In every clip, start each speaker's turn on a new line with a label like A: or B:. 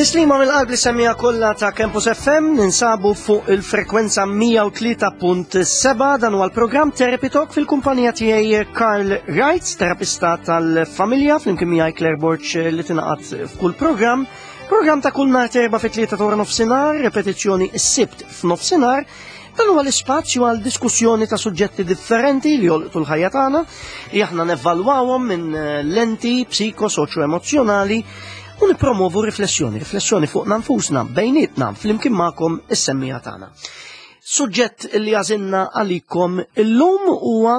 A: Tislima mill-qalb li semmija kollha ta' Campus FM ninsabu fuq il-frekwenza 103.7 dan huwa l-programm Therapy Talk fil-kumpanija tiegħi Karl Wright, terapista tal-familja flimkien miegħi Claire Borg li tingħaqad f'kull programm. Programm ta' kull nhar terba fit-tlieta ta' nofsinhar, repetizzjoni s-sibt f'nofsinhar. Dan huwa l-ispazju għal diskussjoni ta' suġġetti differenti li jolqtu l-ħajja tagħna, li aħna nevalwawhom minn eh, lenti psiko soċjo emozjonali u nippromovu riflessjoni, riflessjoni fuq nfusna, bejnietna, flimkien magħkom is-semmija tagħna. Suġġett li għażilna għalikom illum huwa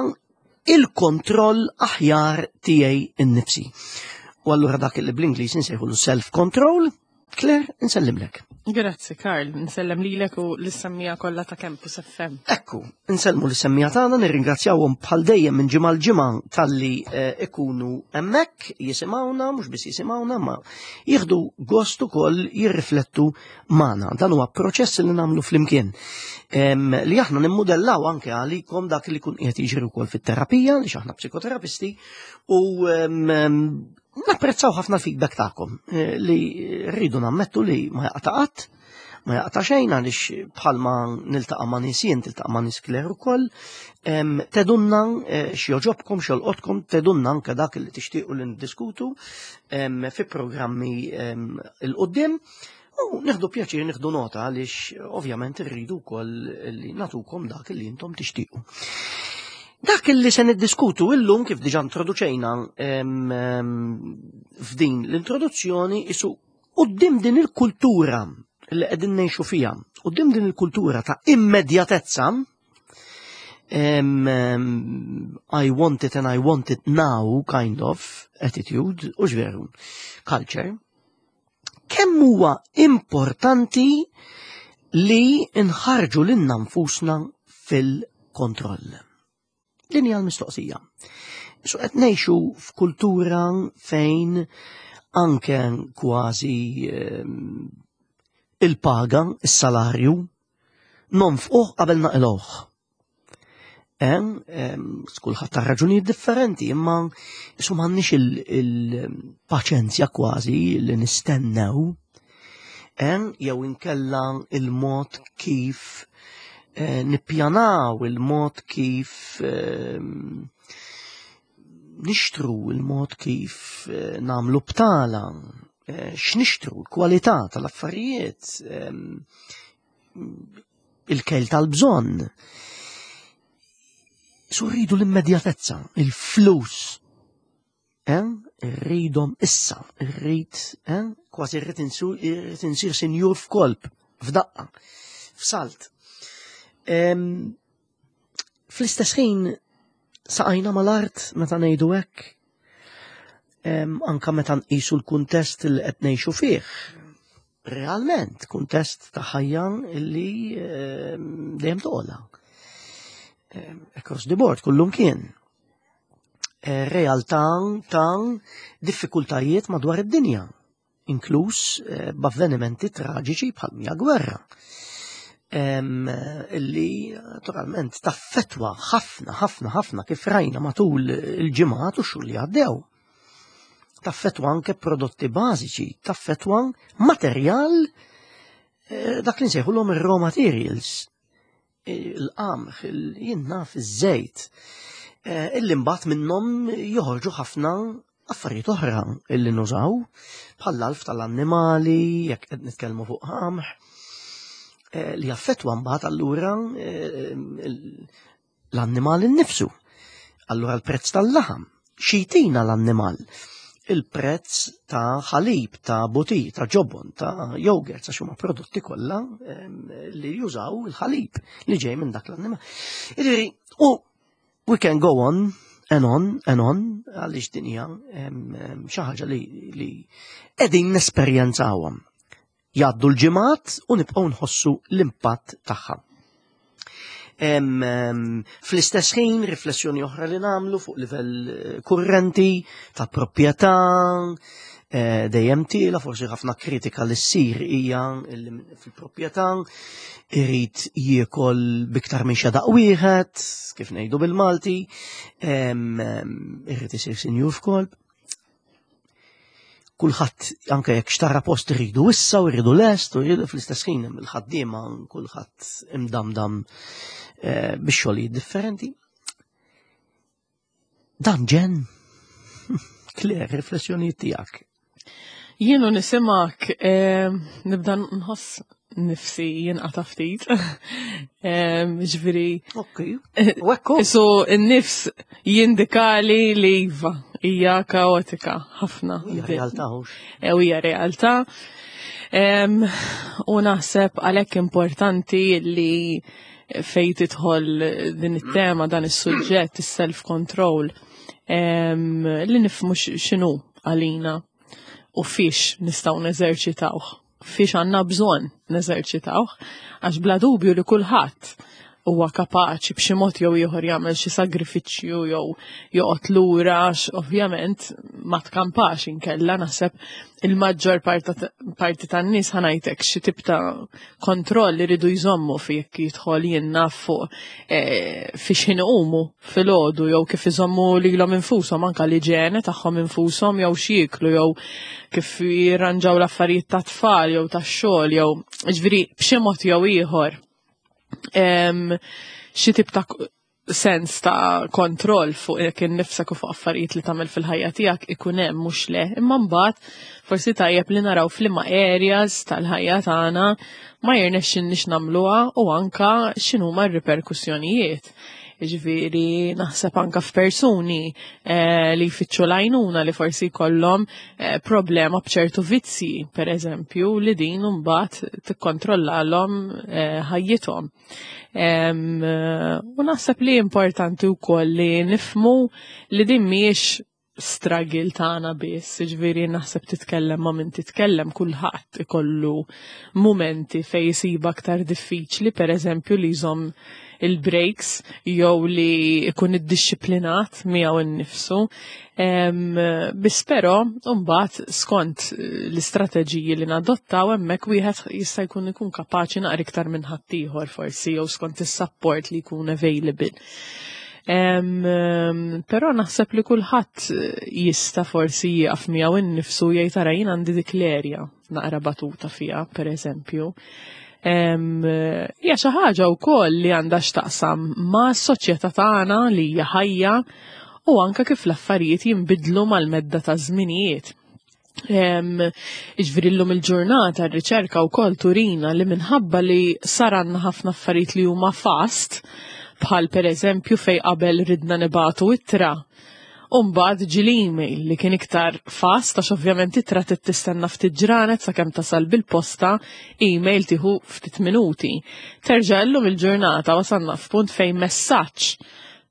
A: il-kontroll aħjar tiegħi innifsi. U allura dak li bl-Ingliż insejħulu self-control, Claire, nsellimlek.
B: Grazzi, Karl, nsellem lilek u l-semmija kollha ta' Campus FM.
A: Ekku, nsellmu l-semmija tagħna, nirringrazzjawhom bħal dejjem minn ġimgħa l-ġimgħa talli eh, ikunu hemmhekk jisimgħuna, mhux biss jisimgħuna, ma jieħdu gost ukoll jirriflettu magħna. Dan huwa proċess li nagħmlu flimkien. Li aħna nimmudellaw anke għalikom dak li kun qiegħed jiġri wkoll fit-terapija, li aħna psikoterapisti, u Napprezzaw ħafna l-feedback tagħkom eh, li rridu nammettu li ma jaqta' qatt, ma jaqta' xejn għaliex bħalma niltaqa' ma' nies jien tiltaqa' ma' nies Claire ukoll, tedunna eh, x'joġobkom, x'jolqotkom, tedunna anke dak li tixtiequ li niddiskutu fi programmi il-qudiem. U nieħdu pjaċir nieħdu nota għaliex ovvjament irridu wkoll li natukom dak li intom tixtiequ. Dak li se niddiskutu illum kif diġà introduċejna f'din l-introduzzjoni isu qudiem din il-kultura li qegħdin ngħixu fiha, qudiem din il-kultura ta' immedjatezza, I want it and I want it now kind of attitude, u veru, culture, kemm huwa importanti li nħarġu lilna nfusna fil-kontroll. Din hija l-mistoqsija. So qed ngħixu f'kultura fejn anke kważi ehm, il-paga, is-salarju, nonfquh qabel naqilgħuh. Hemm kulħadd ta' raġunijiet differenti, imma isu m'għandniex il-paċenzja kważi li nistennew jew inkella il-mod kif eh, nippjanaw, il-mod kif nixtru, il-mod kif eh, namlu btala, eh, x'nixtru, l-kwalità tal-affarijiet, il-kejl tal-bżonn. Su rridu l-immedjatezza, il-flus. Eh? Rridhom issa, rrid, eh? kważi rrid insir sinjur f'kolb, f'daqqa, f'salt. Fl-istess ħin saqajna mal-art meta ngħidu hekk, anka meta nqisu l-kuntest li qed ngħixu fih. Realment, kuntest ta' ħajja li dejjem toqgħodha. Across the board, kullum kien. Eh, realtà ta' diffikultajiet madwar id-dinja inkluż eh, b'avvenimenti traġiċi bħal mija gwerra. Illi naturalment taffetwa ħafna, ħafna, ħafna kif rajna matul il-ġimgħat u xhur li għaddew. Taffetwa anke prodotti bażiċi, taffetwa materjal eh, dak li nsejħulhom ir-raw materials, il-qamħ, jien naf iż-żejt, eh, illi mbagħad minnhom joħorġu ħafna affarijiet oħra illi nużaw, bħall-alf tal-annimali, jekk qed nitkellmu fuq qamħ, eh, li jaffettwa mbagħad allura eh, l-annimal innifsu. Allura l-prezz tal-laħam, xi jtina l-annimal? Il-prezz ta' ħalib, ta' butir, ta' ġobon, ta' jogurt, għax huma prodotti kollha li jużaw il-ħalib li ġej minn dak l-annimal. Jiġifieri, u we can go on and on and on għaliex din hija xi ħaġa li qegħdin nesperjenzawha. Jgħaddu l-ġimgħat u nibqgħu nħossu l-impatt tagħha. Fl-istess ħin, riflessjoni oħra li nagħmlu fuq livell eh, kurrenti ta' proprjetà, eh, dejjem tiela, forsi ħafna kritika li ssir hija fil-proprjetà irid jiekol biktar minn xedaq wieħed, kif ngħidu bil-Malti, irid isir sinjur f'kolb. Kulħadd anke jekk xtara post iridu issa u jridu lest u jridu fl-istess ħin hemm il-ħaddiema kulħadd imdamdam eh, bix xogħlijiet differenti. Dan ġen, Claire, riflessjonijiet tiegħek.
B: Jienu nisimak eh, nibda nħoss nifsi jinqata ftit. Ġifieri.
A: Ok. U ekku.
B: So n-nifs jindikali li iva hija kaotika ħafna.
A: Hija realtà hux.
B: E, hija realtà. U naħseb għalhekk importanti li fej tidħol din it-tema dan is-suġġett is-self-control li nifhmu x'inhu għalina u fiex nistgħu neżerċitawh fiex għandna bżonn neżerċitawh, għax bla dubju li kulħadd huwa kapaċi b'xi mod jew ieħor jagħmel xi sagrifiċċju jew joqgħod lura għax ovvjament ma tkampax inkella naħseb il-maġġor parti tan-nies ħanajtek xi tip ta' kontroll iridu jżommu fi jekk jidħol jien naf fuq eh, fi x'ħin iqumu filgħodu jew kif iżommu lilhom infushom anke l-iġene tagħhom infushom jew x'jieklu jew kif jirranġaw l-affarijiet ta' tfal jew tax-xogħol jew ġifieri b'xi mod jew ieħor xi tip ta' sens ta' kontroll fuq jekk innifsek u fuq affarijiet li tagħmel fil-ħajja tiegħek ikun hemm mhux le. Imma mbagħad forsi tajjeb li naraw f'liema areas tal-ħajja tagħna ma jirnexxinniex nagħmluha u anka x'inhuma r-riperkussjonijiet. Ġifieri naħseb anka f'persuni eh, li jfittxu l-għajnuna li forsi jkollhom eh, problema b'ċertu vizzji, per eżempju, li din mbagħad tikkontrollalhom eh, ħajjithom. U naħseb li importanti wkoll li nifmu li din mhijiex struggle tagħna biss, ġifieri naħseb titkellem ma' min titkellem kulħadd ikollu mumenti fejn jisib aktar diffiċli, pereżempju li jżomm il-breaks jew li jkun iddixxiplinat miegħu innifsu. Biss però mbagħad skont l-istrateġiji li nadottaw hemmhekk wieħed jista' jkun ikun kapaċi naqra iktar minn ħaddieħor forsi jew skont is-support li jkun available. Però naħseb li kulħadd jista' forsi jieqaf miegħu innifsu jgħid ara jien għandi dik l-erja naqra batuta fiha, pereżempju. Hija xi ħaġa wkoll li għandha x'taqsam ma' soċjetà tagħna li hija ħajja u anke kif l-affarijiet jinbidlu mal-medda ta' żminijiet. Iġviri l-lum il-ġurnata r-riċerka u kol turina li minħabba li saranna ħafna affarijiet li huma fast, bħal per eżempju fej qabel ridna nibatu ittra, Umbad ġi l-email li kien iktar fast għax ovvjament ittra trid tistenna ftit ġranet sakemm tasal bil-posta, email tieħu ftit minuti. Terġa' llum il-ġurnata wasalna f'punt fejn messaġġ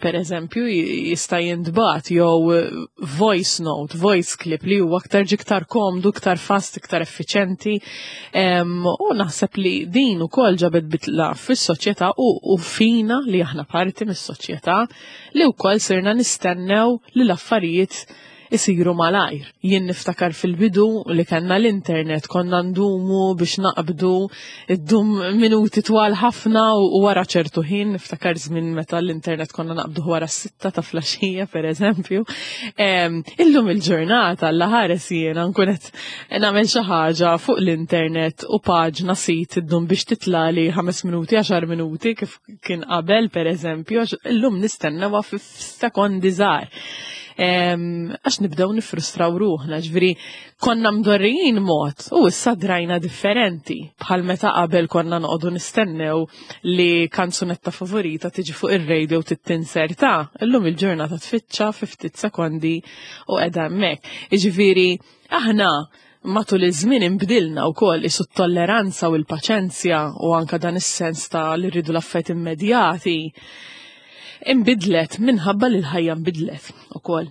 B: per eżempju, jista' jintbagħat jew eh, voice note, voice clip li huwa aktar iktar komdu, iktar fast, iktar effiċenti. U naħseb li din ukoll ġabet bitla fis-soċjetà u, u fina li aħna parti mis-soċjetà li wkoll sirna nistennew li l-affarijiet isiru malajr. Jien niftakar fil-bidu li kellna l-internet, konna ndumu biex naqbdu, iddum minuti twal ħafna u wara ċertu ħin, niftakar żmien meta l-internet konna naqbdu wara s-sitta ta' flaxija, per eżempju. Illum il-ġurnata l ħares jiena nkun qed nagħmel xi ħaġa fuq l-internet u paġna sit iddum biex titlali 5 minuti, 10 minuti kif kien qabel per eżempju, illum nistennewha f'sekondi żgħar. Għax nibdew nifrustraw ruħna, ġifieri konna mdorrijin mod u issa drajna differenti. Bħal meta qabel konna noqogħdu nistennew li kanzunetta favorita tiġi fuq ir-radio tittinserta, illum il-ġurnata tfittxa fi ftit sekondi u qiegħda hemmhekk. Jiġifieri aħna matul iż-żmien inbdilna wkoll isu t-tolleranza u l-paċenzja u anka dan is-sens ta' li rridu l-affarijiet immedjati inbidlet minħabba li l-ħajja nbidlet ukoll.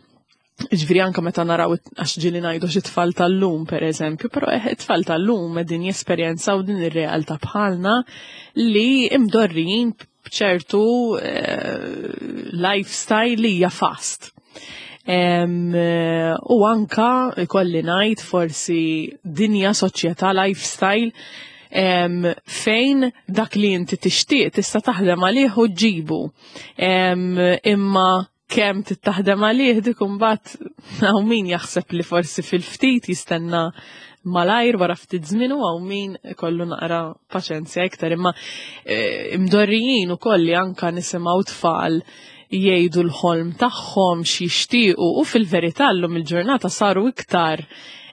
B: Ġifieri anka meta naraw għax ġieli ngħidu xi tfal tal-lum pereżempju, però eh, it-tfal tal-lum qegħdin jesperjenzaw din ir-realtà bħalna li imdorrijin b'ċertu eh, lifestyle li hija fast. Eh, u anka ikolli ngħid forsi dinja soċjetà lifestyle fejn dak li inti tixtieq tista' taħdem għalih u ġibu. Imma Kemm tittaħdem għalih dik imbagħad hawn min jaħseb li forsi fil-ftit jistenna malajr wara ftit żmien u hawn min ikollu naqra paċenzja iktar imma eh, imdorrijin ukoll li anka nisimgħu tfal jgħidu l-ħolm tagħhom x'jixtiequ u fil-verità llum il-ġurnata saru iktar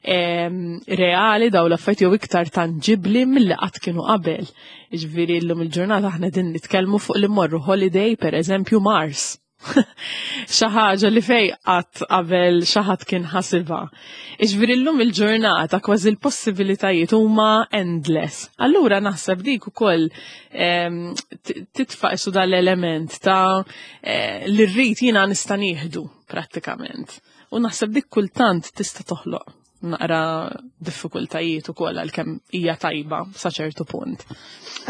B: reali daw l-affarijiet jew iktar tanġibli milli qatt kienu qabel. Jiġifieri llum il-ġurnata aħna din nitkellmu fuq li mmorru holiday pereżempju Mars. Xi ħaġa li fej qatt qabel xi ħadd kien ħasibha. Iġifieri llum il-ġurnata kważi l-possibilitajiet huma endless. Allura naħseb dik ukoll titfa' isu dal-element ta' eh, li rrid jiena nista' nieħdu prattikament. U naħseb dik kultant tista' toħloq naqra diffikultajiet ukoll għalkemm hija tajba sa ċertu punt.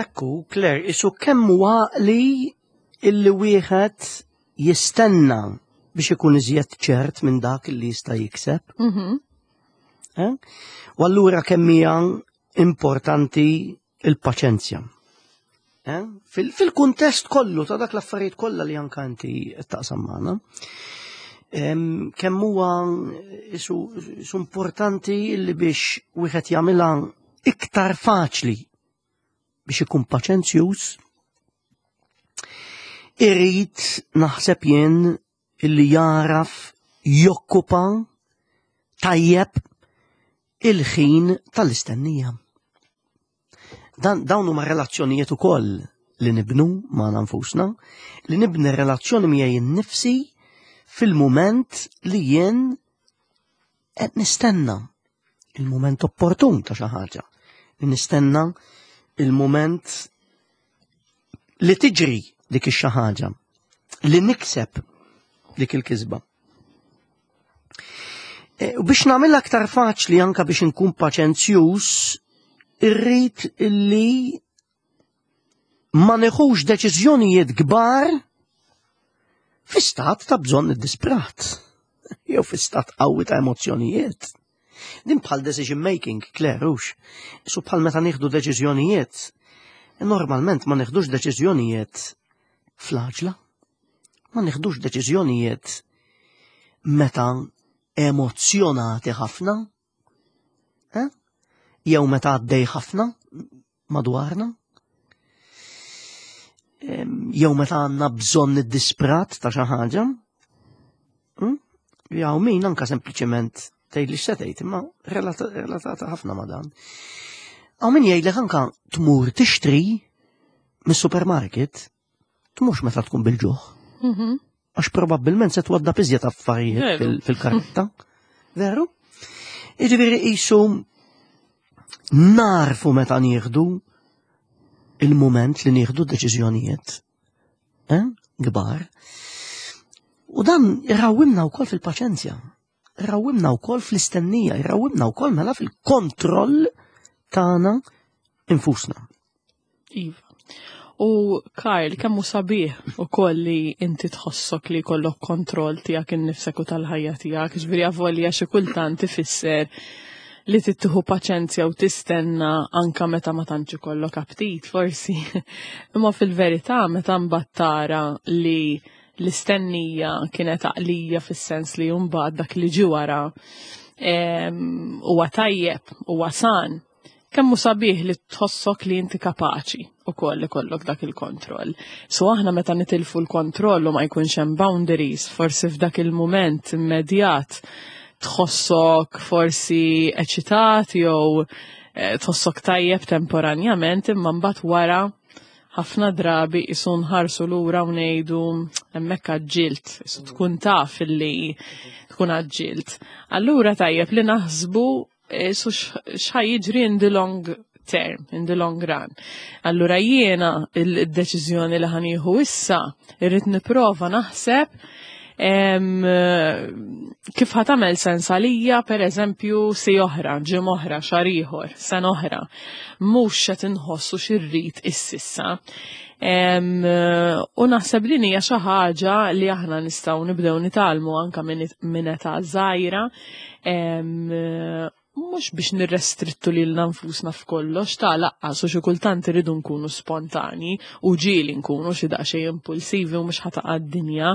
A: Ekku, Claire, isu kemm huwa li illi wieħed jistenna biex ikun iżjed ċert minn dak li jista' jikseb. Mm-hmm. Eh? U allura kemm hija importanti il-paċenzja. Eh? Fil-kuntest kollu ta' dak l-affarijiet kollha li anka inti taqsam magħna. Kemm huwa isu importanti li biex wieħed jagħmilha iktar faċli biex ikun paċenzjuż, irrid naħseb jien illi jaraf jokkupa tajjeb il-ħin tal-istennija. Dan dawn huma relazzjonijiet ukoll li nibnu ma' nfusna, li nibni relazzjoni miegħi nnifsi fil-mument li jien qed nistenna il-mument opportun ta' xi ħaġa. Nistenna il-mument li tiġri dik ix-xi ħaġa, li nikseb dik il-kisba. E, u biex nagħmel aktar faċli anka biex inkun paċenzjuż, irrid illi ma neħux deċiżjonijiet kbar fi stat ta' bżonn iddisprat jew fi stat qawwi ta' emozzjonijiet. Din bħal decision making, Claire, hux. Su bħal meta nieħdu deċiżjonijiet. Normalment ma nieħdux deċiżjonijiet fl-għaġla. Ma nieħdux deċiżjonijiet meta emozzjonati ħafna. Eh? Jew meta għaddej ħafna madwarna. Jew meta għandna bżonn id-disprat ta' xi ħaġa. Hmm? Jew min anka sempliċement tgħid li x'se imma relatata ħafna ma' dan. Hawn min jgħidlek anka tmur tixtri mis-supermarket tmux meta tkun bil-ġuħ. Mhm. Għax probabbilment se twadda iżjed affarijiet fil-karetta. Veru? Jiġifieri qisu narfu meta nieħdu il-mument li nieħdu deċiżjonijiet eh, kbar. U dan irawwimna wkoll fil-paċenzja, irawwimna wkoll fl-istennija, irawwimna wkoll mela fil-kontroll tagħna infusna.
B: Iva. U Karl, kemm hu sabiħ ukoll li inti tħossok li jkollok kontroll tiegħek innifsek u tal-ħajja tiegħek, ġifieri avolja xi kultant ifisser li tittieħu paċenzja u tistenna anka meta ma tantx ikollok aptit forsi. Imma fil-verità meta mbagħad tara li l-istennija kienet għaqlija fis-sens li mbagħad dak li ġie wara huwa tajjeb, huwa san Kemm hu sabiħ li tħossok li inti kapaċi ukoll ikollok dak il-kontroll. So aħna meta nitilfu l-kontroll u ma jkunx hemm boundaries, forsi f'dak il-mument immedjat tħossok forsi eċitat jew eh, tħossok tajjeb temporanjament imma mbagħad wara ħafna drabi isu nħarsu lura u ngħidu hemmhekk għaġġilt, isu tkun taf illi tkun għaġġilt. Allura tajjeb li naħsbu Eh, su x'ħa jiġri in the long term, in the long run. Allura jiena il-deċiżjoni li ħanieħu issa irrid nipprova naħseb kif ħatamel sens għalija, per eżempju, si oħra, ġim oħra, xar ieħor, sen oħra, mhux qed inħossu xirrid ississa. U naħseb din hija xi ħaġa li aħna nistgħu nibdew nitalmu anka minn età żgħira. Mhux biex nirrestrittu lilna nfusna f'kollox, ta' laqqas u xi kultant irridu nkunu spontani u ġieli nkunu xi daqsxejn impulsivi u mhux ħataqa' d-dinja,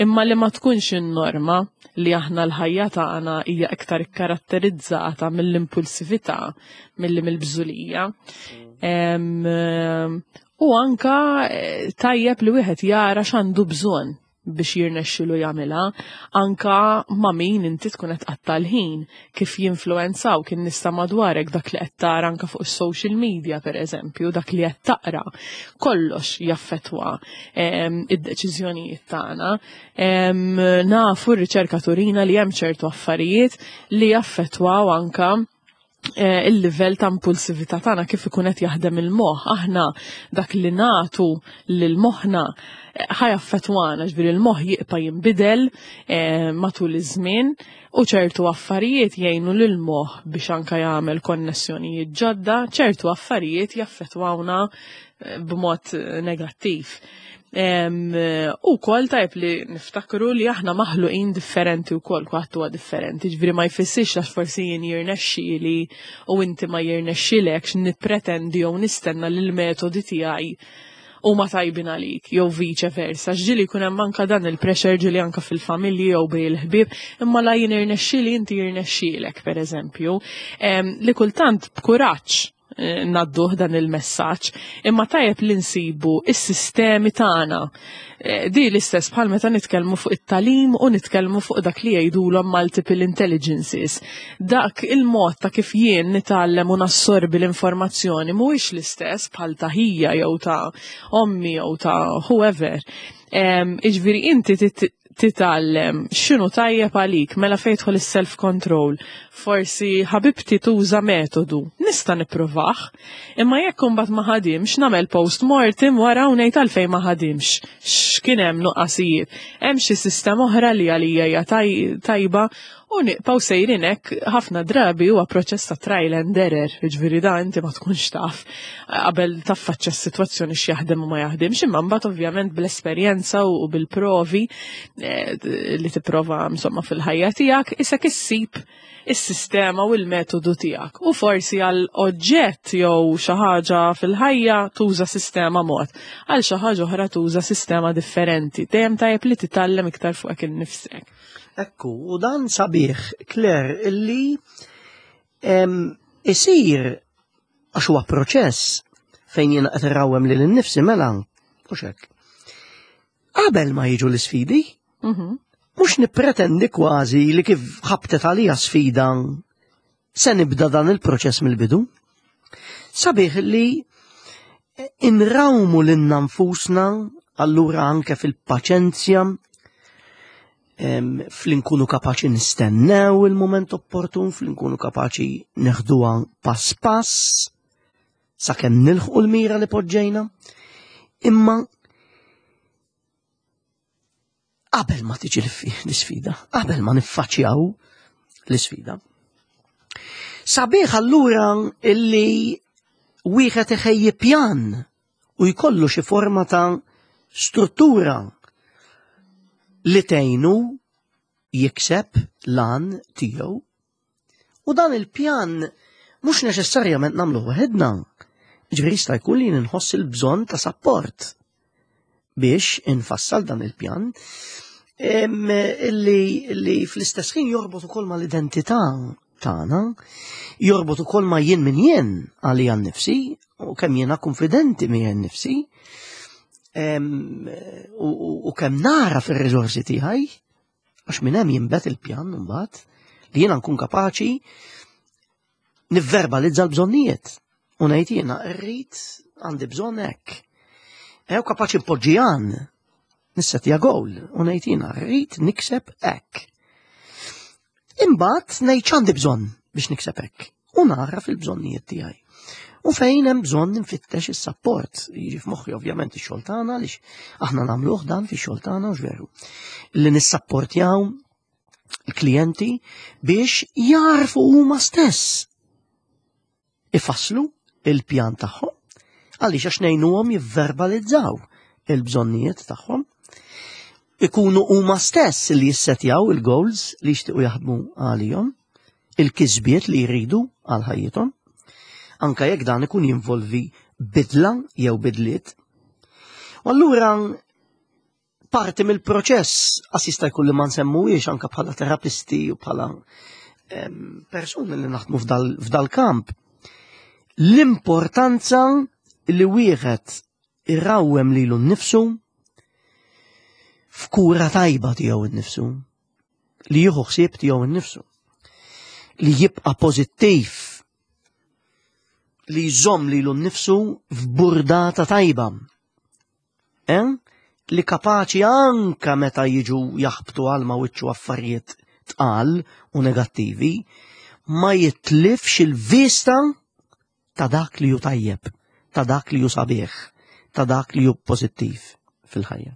B: imma li ma tkunx in-norma li aħna l-ħajja tagħna hija iktar ikkaratterizzata mill-impulsività milli mill-bżulija. U anka eh, tajjeb li wieħed jara x'għandu bżonn biex jirnexxilu jagħmilha, anka ma' min inti tkun qed tqatta' l-ħin, kif jinfluwenzaw kien nista' madwarek dak li qed tara anka fuq is-social media pereżempju, dak li qed taqra. Kollox jaffettwa ehm, id-deċiżjonijiet tagħna. Ehm, nafu r-riċerka turina li hemm ċertu affarijiet li jaffettwaw anka Eh, il-livell ta' impulsività tagħna kif ikun qed jaħdem il-moħħ. Aħna dak li nagħtu lil moħħna eh, ħajaffettwana, ġifieri il-moħħ jibqa' jinbidel eh, matul iż-żmien u ċertu affarijiet jgħinu lil moħħ biex anka jagħmel konnessjonijiet ġodda, ċertu affarijiet jaffettwawna b'mod negattiv. U kol tajb li niftakru li aħna maħluqin differenti u kol kwaħt huwa differenti, ġviri ma jfissirx għax forsi jien jirnexxieli u inti ma jirnexxilekx nippretendi jew nistenna li l-metodi tiegħi huma tajbin għalik jew viċe versa. Ġieli jkun hemm anka dan il-pressure ġieli anka fil-familji jew bej il-ħbieb, imma la jien irnexxieli inti jirnexxielek pereżempju. Li kultant b'kuraġġ Eh, nadduh dan il-messaġġ, imma tajjeb li nsibu is-sistemi tagħna. Eh, di l-istess bħal meta nitkellmu fuq it-talim u nitkellmu fuq dak li jgħidulhom multiple intelligences. Dak il-mod ta' kif jien nitgħallem u nassorbi l-informazzjoni mhuwiex l-istess bħal ta' ħija jew ta' ommi jew ta' whoever. Iġviri inti titgħallem x'inhu tajjeb għalik mela fejn jidħol is-self control. Forsi ħabibti tuża metodu, nista' nippruvah, imma jekk imbagħad ma ħadimx nagħmel post mortem wara u ngħid għalfejn ma ħadimx, x'kien hemm nuqqasijiet. Hemm xi sistema oħra li għalija hija tajba U niqpaw sejrin hekk ħafna drabi huwa proċess ta' trial and error, jiġifieri da inti ma tkunx taf qabel taffaċċja s-sitwazzjoni x'jaħdem u ma jaħdimx, imma mbagħad ovvjament bl-esperjenza u bil-provi eh, li tipprova insomma fil-ħajja tiegħek isek issib is-sistema u l-metodu tiegħek. U forsi għal oġġett jew xi ħaġa fil-ħajja tuża sistema mod, għal xi ħaġa oħra tuża sistema differenti. Dejjem tajjeb li titgħallem iktar fuqek innifsek.
A: Ekku, u dan sabiħ, Claire, illi isir għax huwa proċess fejn jiena qed irrawhem lil innifsi mela u hekk. Qabel ma jiġu l-isfidi, mhm. mhux nippretendi kważi li kif ħabtet għalija sfida se nibda dan il-proċess mill-bidu. Sabiħ li inrawmu lilna nfusna allura anke fil-paċenzja fl-inkunu kapaċi nistennew il-moment opportun, fl-inkunu kapaċi neħduha pass pass, sakemm nilħqu l-mira li poġġejna. Imma qabel ma tiġi l-isfida, qabel ma niffaċċjaw l-isfida. Sabiħ allura illi wieħed iħejji pjan u jkollu xi forma ta' struttura li tgħinu jikseb lan tiegħu. U dan il-pjan mhux neċessarjament nagħmlu waħedna. Ġifieri jista' jkun li nħoss il-bżonn ta' sapport biex infassal dan il-pjan illi, illi fl-istess ħin jorbot ukoll mal-identità tagħna, jorbot ukoll ma' jien min jien għalija nnifsi u kemm jiena konfidenti miegħi nnifsi u kemm nara fir-riżorsi tiegħi Għax minn hemm jinbet il-pjan mbagħad li jiena nkun kapaċi nivverbalizza l-bżonnijiet u ngħid jiena rrid għandi bżonn hekk. Ew kapaċi npoġġi għan nissetja goal u ngħid jiena rrid nikseb hekk. Imbagħad ngħid x'għandi bżonn biex nikseb hekk u nara fil-bżonnijiet tiegħi. U fejn hemm bżonn nfittex is-sapport, jiġi f'moħħi ovvjament ix-xogħol tagħna għaliex aħna nagħmluh dan fix-xogħol tagħna u veru. Li nissapportjaw il-klijenti biex jarfu huma stess ifasslu il-pjan tagħhom għaliex għax ngħinuhom jivverbalizzaw il-bżonnijiet tagħhom ikunu huma stess li jissetjaw il-goals li jixtiequ jaħdmu għalihom. il-kisbiet li jridu għal ħajjithom, anka jekk dan ikun jinvolvi bidla jew bidliet. U allura parti mill-proċess għas jista' jkun li ma nsemmuhiex anka bħala terapisti u bħala persuni li naħdmu f'dal-kamp. L-importanza li wieħed irrawwem lilu nnifsu f'kura tajba tiegħu nnifsu, li jieħu ħsieb tiegħu nnifsu, li jibqa' pożittiv, li jżomm lilu nnifsu f'burdata tajba. Eh? Li kapaċi anka meta jiġu jaħbtu għal ma wiċċu affarijiet tqal u negattivi, ma jitlifx il-vista ta' dak li ju tajjeb, ta' dak li ju sabiħ, ta' dak li ju pożittiv fil-ħajja.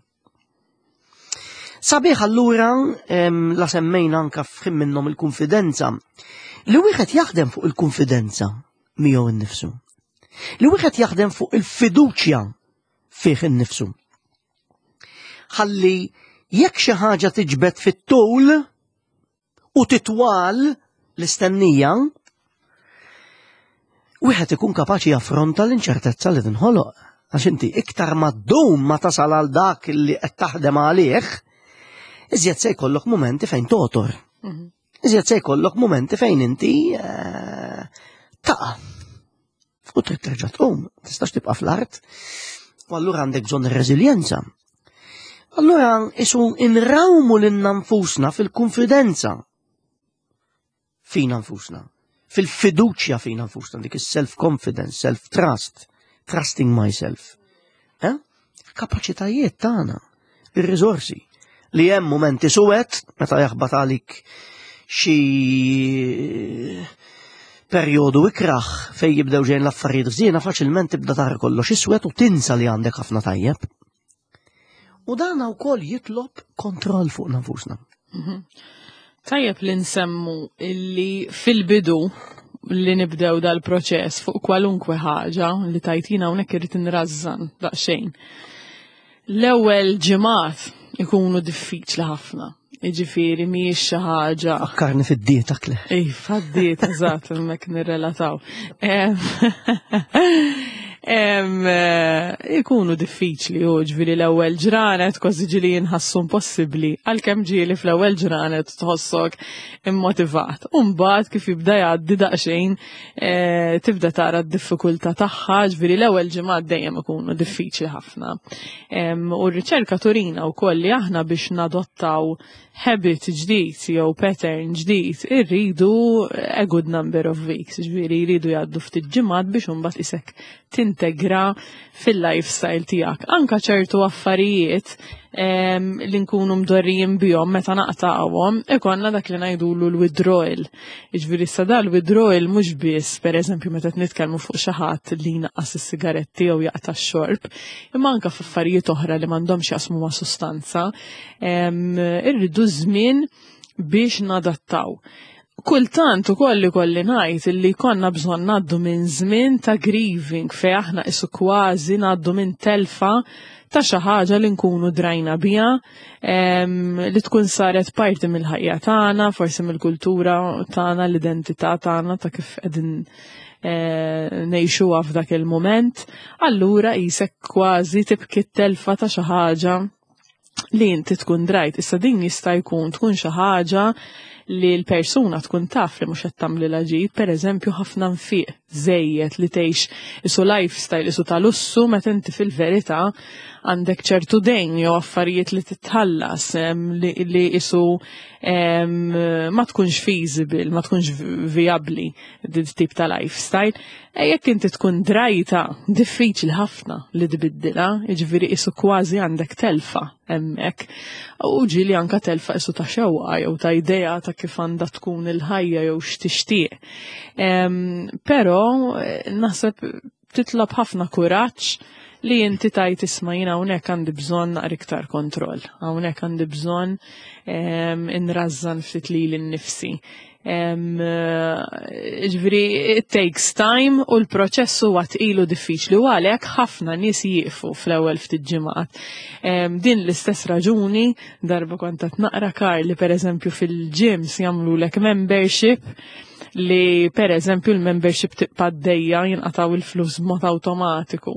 A: Sabiħ allura la semmejna anka f'ħin minnhom il-kunfidenza li wieħed jaħdem fuq il-kunfidenza miegħu innifsu. Li wieħed jaħdem fuq il-fiduċja fih innifsu. Ħalli jekk xi ħaġa tiġbed fit-tul u titwal l-istennija, wieħed ikun kapaċi jaffronta l-inċertezza li tinħoloq. Għax inti iktar ma ddum ma tasal għal dak li qed taħdem għalih, iżjed se jkollok mumenti fejn totor. Iżjed se jkollok mumenti fejn inti eh, taqa'. U trid terġa' tqum, tistax tibqa' fl-art. U allura għandek bżonn ir-reżiljenza. Allura isu inrawmu lilna nfusna fil-konfidenza fina nfusna, fil-fiduċja fina nfusna, dik is-self-confidence, self-trust, trusting myself. Eh? Kapaċitajiet tagħna, ir-riżorsi li hemm mumenti suwed meta jaħbat għalik xi perjodu ikraħ fej jibdew ġejn l-affarijiet ħżiena faċilment tibda tara kollox iswed u tinsa li għandek ħafna tajjeb. U dan wkoll jitlob kontroll fuq nafusna.
B: Tajjeb li nsemmu illi fil-bidu li nibdew dal-proċess fuq kwalunkwe ħaġa li tajtina hawnhekk irid inrażżan daqsxejn. L-ewwel ġimgħat ikunu diffiċli ħafna. Jiġifieri mhijiex xi ħaġa.
A: Fakkarni fid-dieta kle.
B: Ej, fad-dieta eżatt hemmhekk nirrelataw. Eh, ikunu diffiċli u ġviri l-ewwel ġranet kważi ġili jinħassu impossibbli għalkemm ġieli fl-ewwel ġranet tħossok immotivat. U mbagħad kif jibda jgħaddi daqsxejn eh, tibda tara d-diffikultà tagħha, ġviri l-ewwel ġimgħat dejjem ikunu diffiċli ħafna. U r-riċerka turina wkoll li aħna biex nadottaw habit ġdid jew pattern ġdid irridu a good number of weeks, ġifieri jridu jgħaddu ftit ġimgħat biex imbagħad isek tintegra fil-lifestyle tiegħek. Anka ċertu affarijiet li nkunu mdorrijin bihom meta naqtawhom, ikonna dak li ngħidulu l-withdrawal. Jiġifieri issa da l-withdrawal mhux biss pereżempju meta qed nitkellmu fuq xi ħadd li jnaqqas is-sigaretti jew jaqta' x-xorb, imma anka f'affarijiet oħra li m'għandhomx jaqsmu ma' sustanza, irridu żmien biex nadattaw. Kultant ukoll ikolli ngħid illi konna bżonn ngħaddu minn żmien ta' grieving fejn aħna isu kważi ngħaddu minn telfa ta' xi ħaġa li nkunu drajna biha, li tkun saret parti mill-ħajja tagħna, forsi mill-kultura tagħna, l-identità tagħna ta' kif qegħdin eh, ngħixuha f'dak il-mument, allura qisek kważi tibki t-telfa ta' xi ħaġa li inti tkun drajt. Issa din jista' jkun tkun xi ħaġa li l-persuna tkun taf li mhux qed tagħmlilha ġid, pereżempju ħafna nfiq żejjed li tgħix isu lifestyle isu ta' lussu meta inti fil-verità għandek ċertu dejn jew affarijiet li titħallas li isu ma tkunx feasible, ma tkunx viabli din tip ta' lifestyle. E jekk inti tkun drajta, diffiċli ħafna li tbiddilha, jiġifieri isu kważi għandek telfa hemmhekk. U ġieli anka telfa isu ta' xewqa jew ta' idea ta' kif għandha tkun il-ħajja jew x'tixtieq. Però eh, naħseb titlob ħafna kuraġġ li inti tajt isma' jien hawnhekk għandi bżonn naqra iktar kontroll, hawnhekk għandi bżonn inrażżan ftit lili nnifsi. Ġifieri, it takes time u l-proċess huwa tqil u diffiċli u għalhekk ħafna nies jieqfu fl-ewwel ftit ġimgħat. Din l-istess raġuni darba kont qed naqra kar li pereżempju fil-gyms jagħmlulek membership. li per eżempju l-membership tibqa' għaddejja jinqataw il-flus b'mod awtomatiku.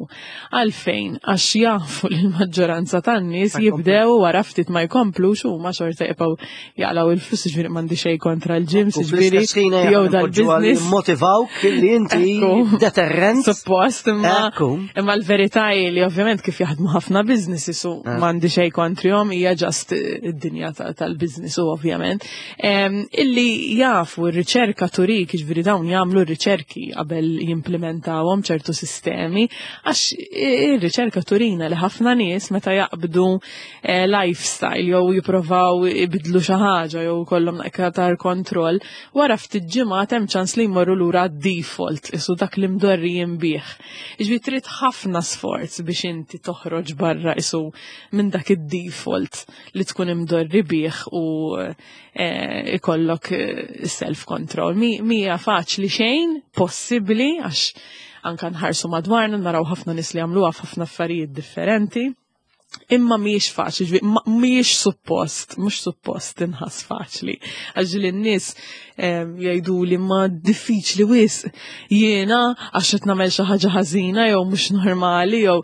B: Għalfejn, għax jafu li l-maġġoranza tan-nies jibdew wara ftit ma jkomplux u ma xorta jibqgħu jaqlaw il-flus, ġifieri m'għandi xejn kontra l-gyms, ġifieri
A: jew dal-business. Motivawk li inti deterrent.
B: Suppost, imma imma l-verità hi li ovvjament kif jaħdmu ħafna businesses u eh. m'għandi xejn kontrihom hija ġast id-dinja tal-business u ovvjament. Illi jafu r-riċerka turik, ġifieri dawn jagħmlu r-riċerki qabel jimplementawhom ċertu sistemi, għax ir-riċerka turina li ħafna nies meta jaqbdu eh, lifestyle jew jipprovaw ibidlu xi ħaġa jew kollhom aktar kontroll, wara ftit ġimgħat hemm ċans li jmorru lura default isu dak li mdorri jinbih. Iġbi trid ħafna sforz biex inti toħroġ barra isu minn dak id-default li tkun imdorri bih u eh, ikollok eh, self-control. Mija faċli xejn, possibbli, għax anka nħarsu madwarna naraw ħafna nies li għamluha f'ħafna affarijiet differenti. Imma mhijiex faċli, mhijiex suppost, mhux suppost tinħass faċli. Għax li n-nies jgħidu li ma diffiċli wisq jiena għax qed nagħmel xi ħaġa ħażina jew mhux normali jew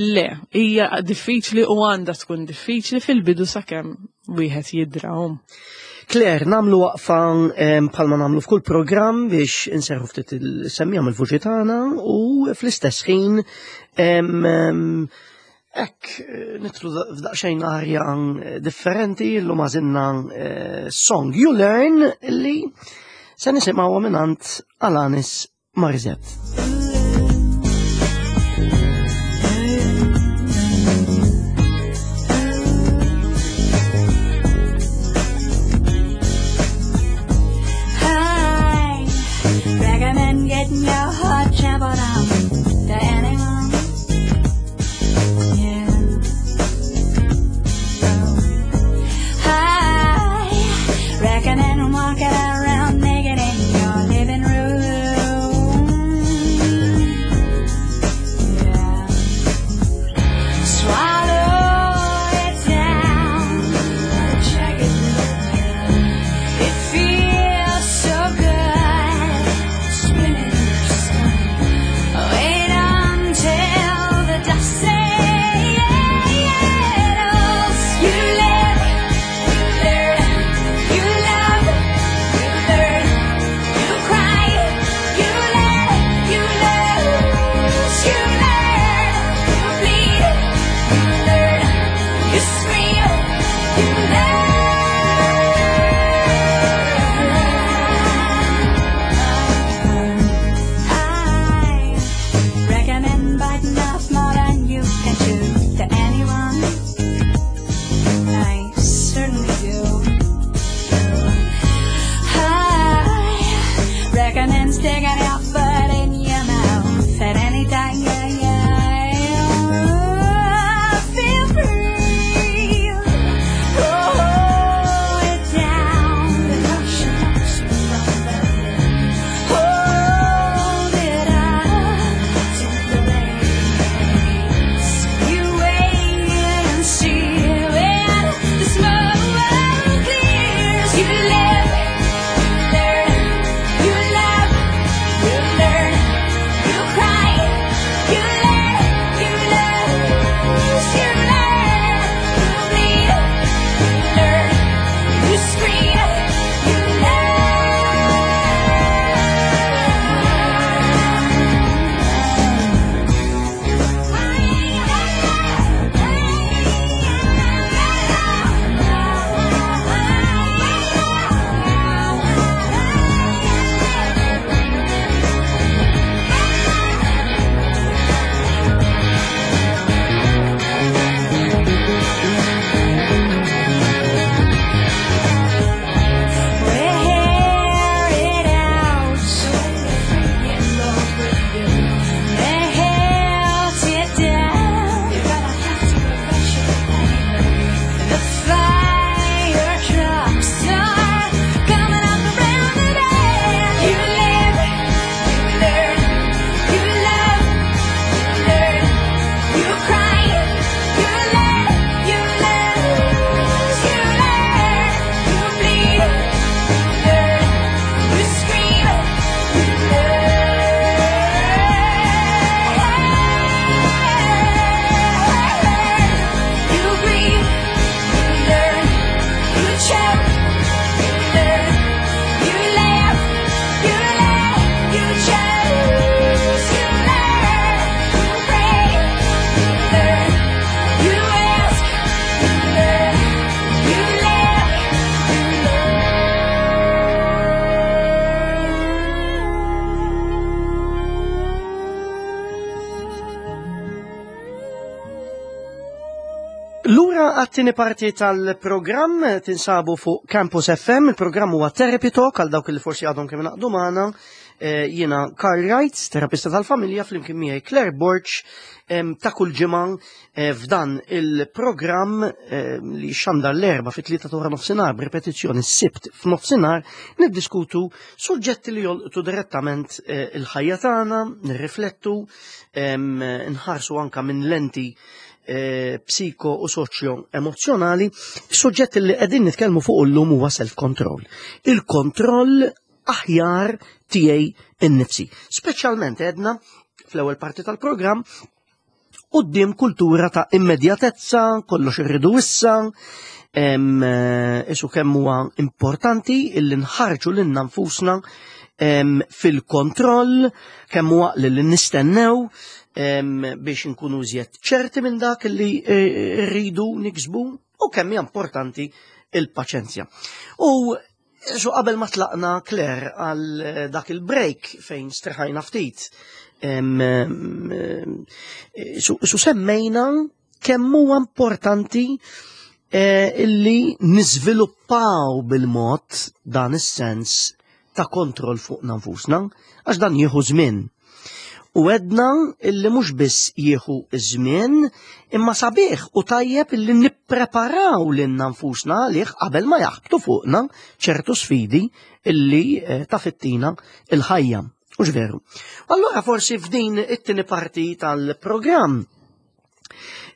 B: le, hija diffiċli u għandha tkun diffiċli fil-bidu sakemm wieħed jidrahom.
A: Claire, namlu waqfa bħalma namlu f'kull programm biex inserħu ftit il-semmija mill-vuċi tagħna u fl-istess ħin hekk nitlu f'daqsxejn arja differenti llum għażilna eh, song You Learn li se nisimgħuha mingħand Alanis Morissette. Getting your heart trampled on to anyone. Yeah. I recommend walking around naked in your living room. Lura għat-tieni parti tal-programm tinsabu fuq Campus FM, il-programm huwa Therapy Talk għal dawk li forsi għadhom kemm naqdu magħna. Eh, jiena Karl Wright, terapista tal-familja, flimkien miegħi Claire Borg ta' kull ġimgħa eh, f'dan il-programm li xandar l-erba fit-tlieta ta' nofsinhar b'ripetizzjoni s-sibt f'nofsinhar niddiskutu suġġetti li jolqtu direttament eh, il-ħajja tagħna, nirriflettu, nħarsu anka minn lenti Eh, psiko u soċjo emozjonali, suġġett li qegħdin nitkellmu fuq illum huwa self-control. Il-kontroll aħjar tiegħi innifsi. Speċjalment għedna fl-ewwel parti tal-programm quddiem kultura ta' immedjatezza, kollox irridu issa, eh, isu kemm huwa importanti illi nħarġu lilna nfusna fil-kontroll, kemm huwa li nistennew biex nkunu iżjed ċerti minn dak li eh, rridu niksbu u kemm hija importanti il-paċenzja. U xu qabel ma tlaqna Claire għal eh, dak il-break fejn streħajna ftit, su semmejna kemm huwa importanti eh, illi niżviluppaw bil-mod dan is-sens ta' kontroll fuq nfusna, għax dan jieħu żmien. U għedna illi mhux biss jieħu żmien, imma sabiħ u tajjeb illi nippreparaw lilna nfusna għalih qabel ma jaħbtu fuqna ċertu sfidi illi eh, tafittina il-ħajja. Ux veru. Allora forsi f'din it-tieni parti tal-programm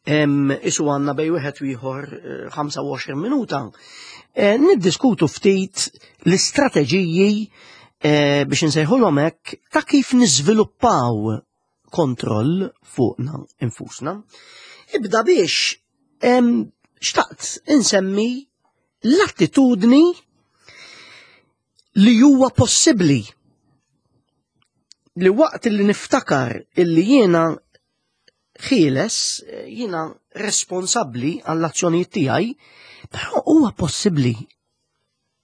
A: isu għanna bej wieħed u ieħor 25 eh, minuta, eh, niddiskutu ftit l-istrateġiji eh, biex nsejħulhom hekk ta' kif niżviluppaw kontroll fuqna infusna. Ibda biex xtaqt insemmi l-attitudni li huwa possibbli li waqt li niftakar illi jiena ħieles, jiena responsabbli għall-azzjonijiet tiegħi, però huwa possibbli.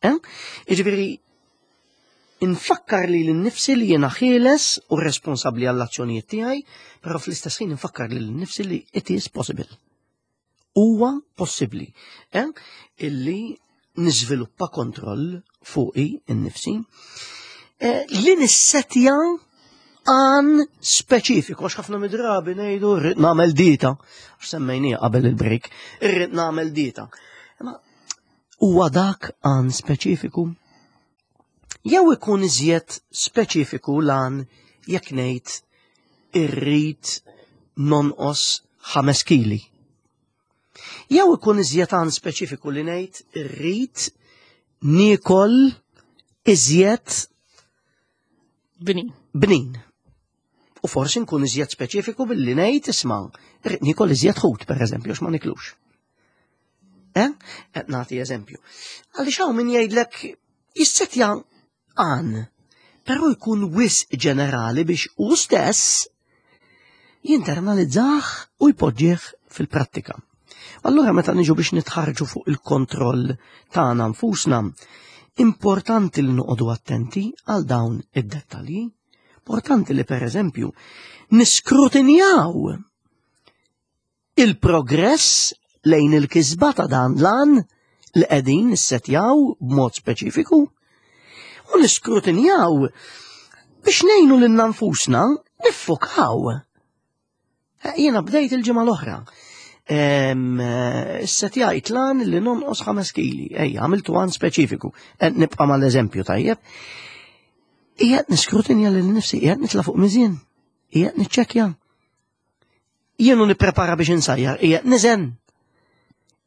A: Eh? Jiġifieri infakkar li l-nifsi li jiena ħieles u responsabbli għall-azzjonijiet tiegħi, però fl-istess ħin infakkar li l-nifsi li it is possible. Huwa possibbli eh? illi niżviluppa kontroll fuqi innifsi eh, li nissetja għan speċifiku, għax ħafna midrabi ngħidu rrid nagħmel dieta, għax semmejnija qabel il-break, irrid nagħmel dieta. Ma huwa dak għan speċifiku? Jew ikun iżjed speċifiku lan jekk ngħid irrid nonqos 5 kili. Jew ikun iżjed għan speċifiku li ngħid irrid niekol iżjed
B: bnin.
A: Bnin. U forsi nkun iżjed speċifiku billi ngħid isma' irrid niekol iżjed ħut pereżempju għax ma niklux. Eh? Qed nagħti eżempju. Għaliex hawn min jgħidlek jissetja għan, però jkun wisq ġenerali biex hu stess jinternalizzah u jpoġġih fil-prattika. Allura meta niġu biex nitħarġu fuq il-kontroll tagħna nfusna, importanti li noqogħdu attenti għal dawn id-dettalji. Importanti li pereżempju niskrutinjaw il-progress lejn il-kisba ta' dan l-għan li qegħdin nissetjaw b'mod speċifiku u niskrutinjaw biex ngħinu lil nfusna niffokaw. Eh, jiena bdejt il-ġimgħa l-oħra. Eh, setjajt lan li nonqos 5 kili. Ejja, għamiltu għan speċifiku. Eh, nibqa' mal-eżempju tajjeb. Qiegħed niskrutinja lil nifsi, qiegħed nitla' fuq miżien, qiegħed niċċekkja. Jienu nipprepara biex insajjar, qiegħed niżen.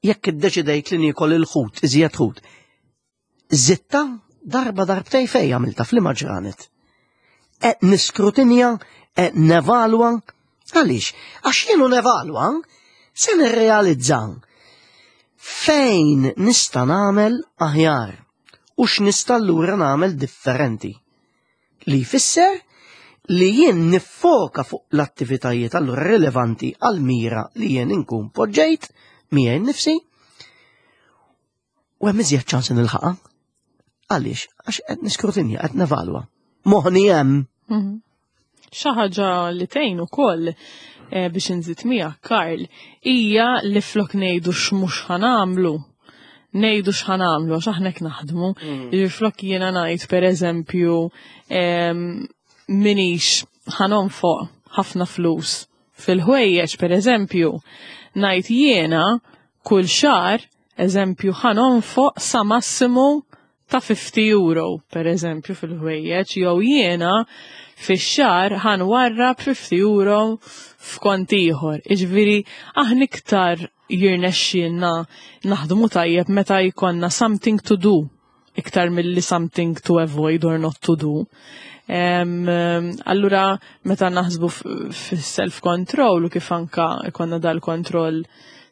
A: Jekk iddeċidejt li niekol il-ħut, iżjed ħut. Zitta darba darbtej fej għamilta fl ġranet. Qed niskrutinja, qed nevalwa, għaliex? Għax jienu nevalwa, se nirrealizza fejn nista' nagħmel aħjar u x'nista' allura nagħmel differenti. Li jfisser li jien niffoka fuq l-attivitajiet allura rilevanti għal-mira li jien inkun poġġejt miegħi nnifsi u hemm iżjed ċans nilħaqha. Għaliex? Għax qed niskrutinja, qed nevalwa. Moħni hemm.
B: Mhm. Xi ħaġa li tgħin ukoll Biex inżid miegħek, Karl, hija li flok ngħidu x'mhux ħa nagħmlu, ngħidu x'ħa nagħmlu għax aħna hekk naħdmu. Flok jiena ngħid pereżempju minix ħa nonfoq ħafna flus fil-ħwejjeġ pereżempju, ngħid jiena kull xahar eżempju ħa nonfoq sa massimu ta' 50 euro per eżempju fil-ħwejjeġ, jew jiena fix-xahar ħa nwarrab 50 euro f'kont ieħor. Iġifieri aħna iktar jirnexxielna naħdmu tajjeb meta jkollna something to do iktar milli something to avoid or not to do. Allura meta naħsbu fis-self-control u kif anka jkollna dal-kontroll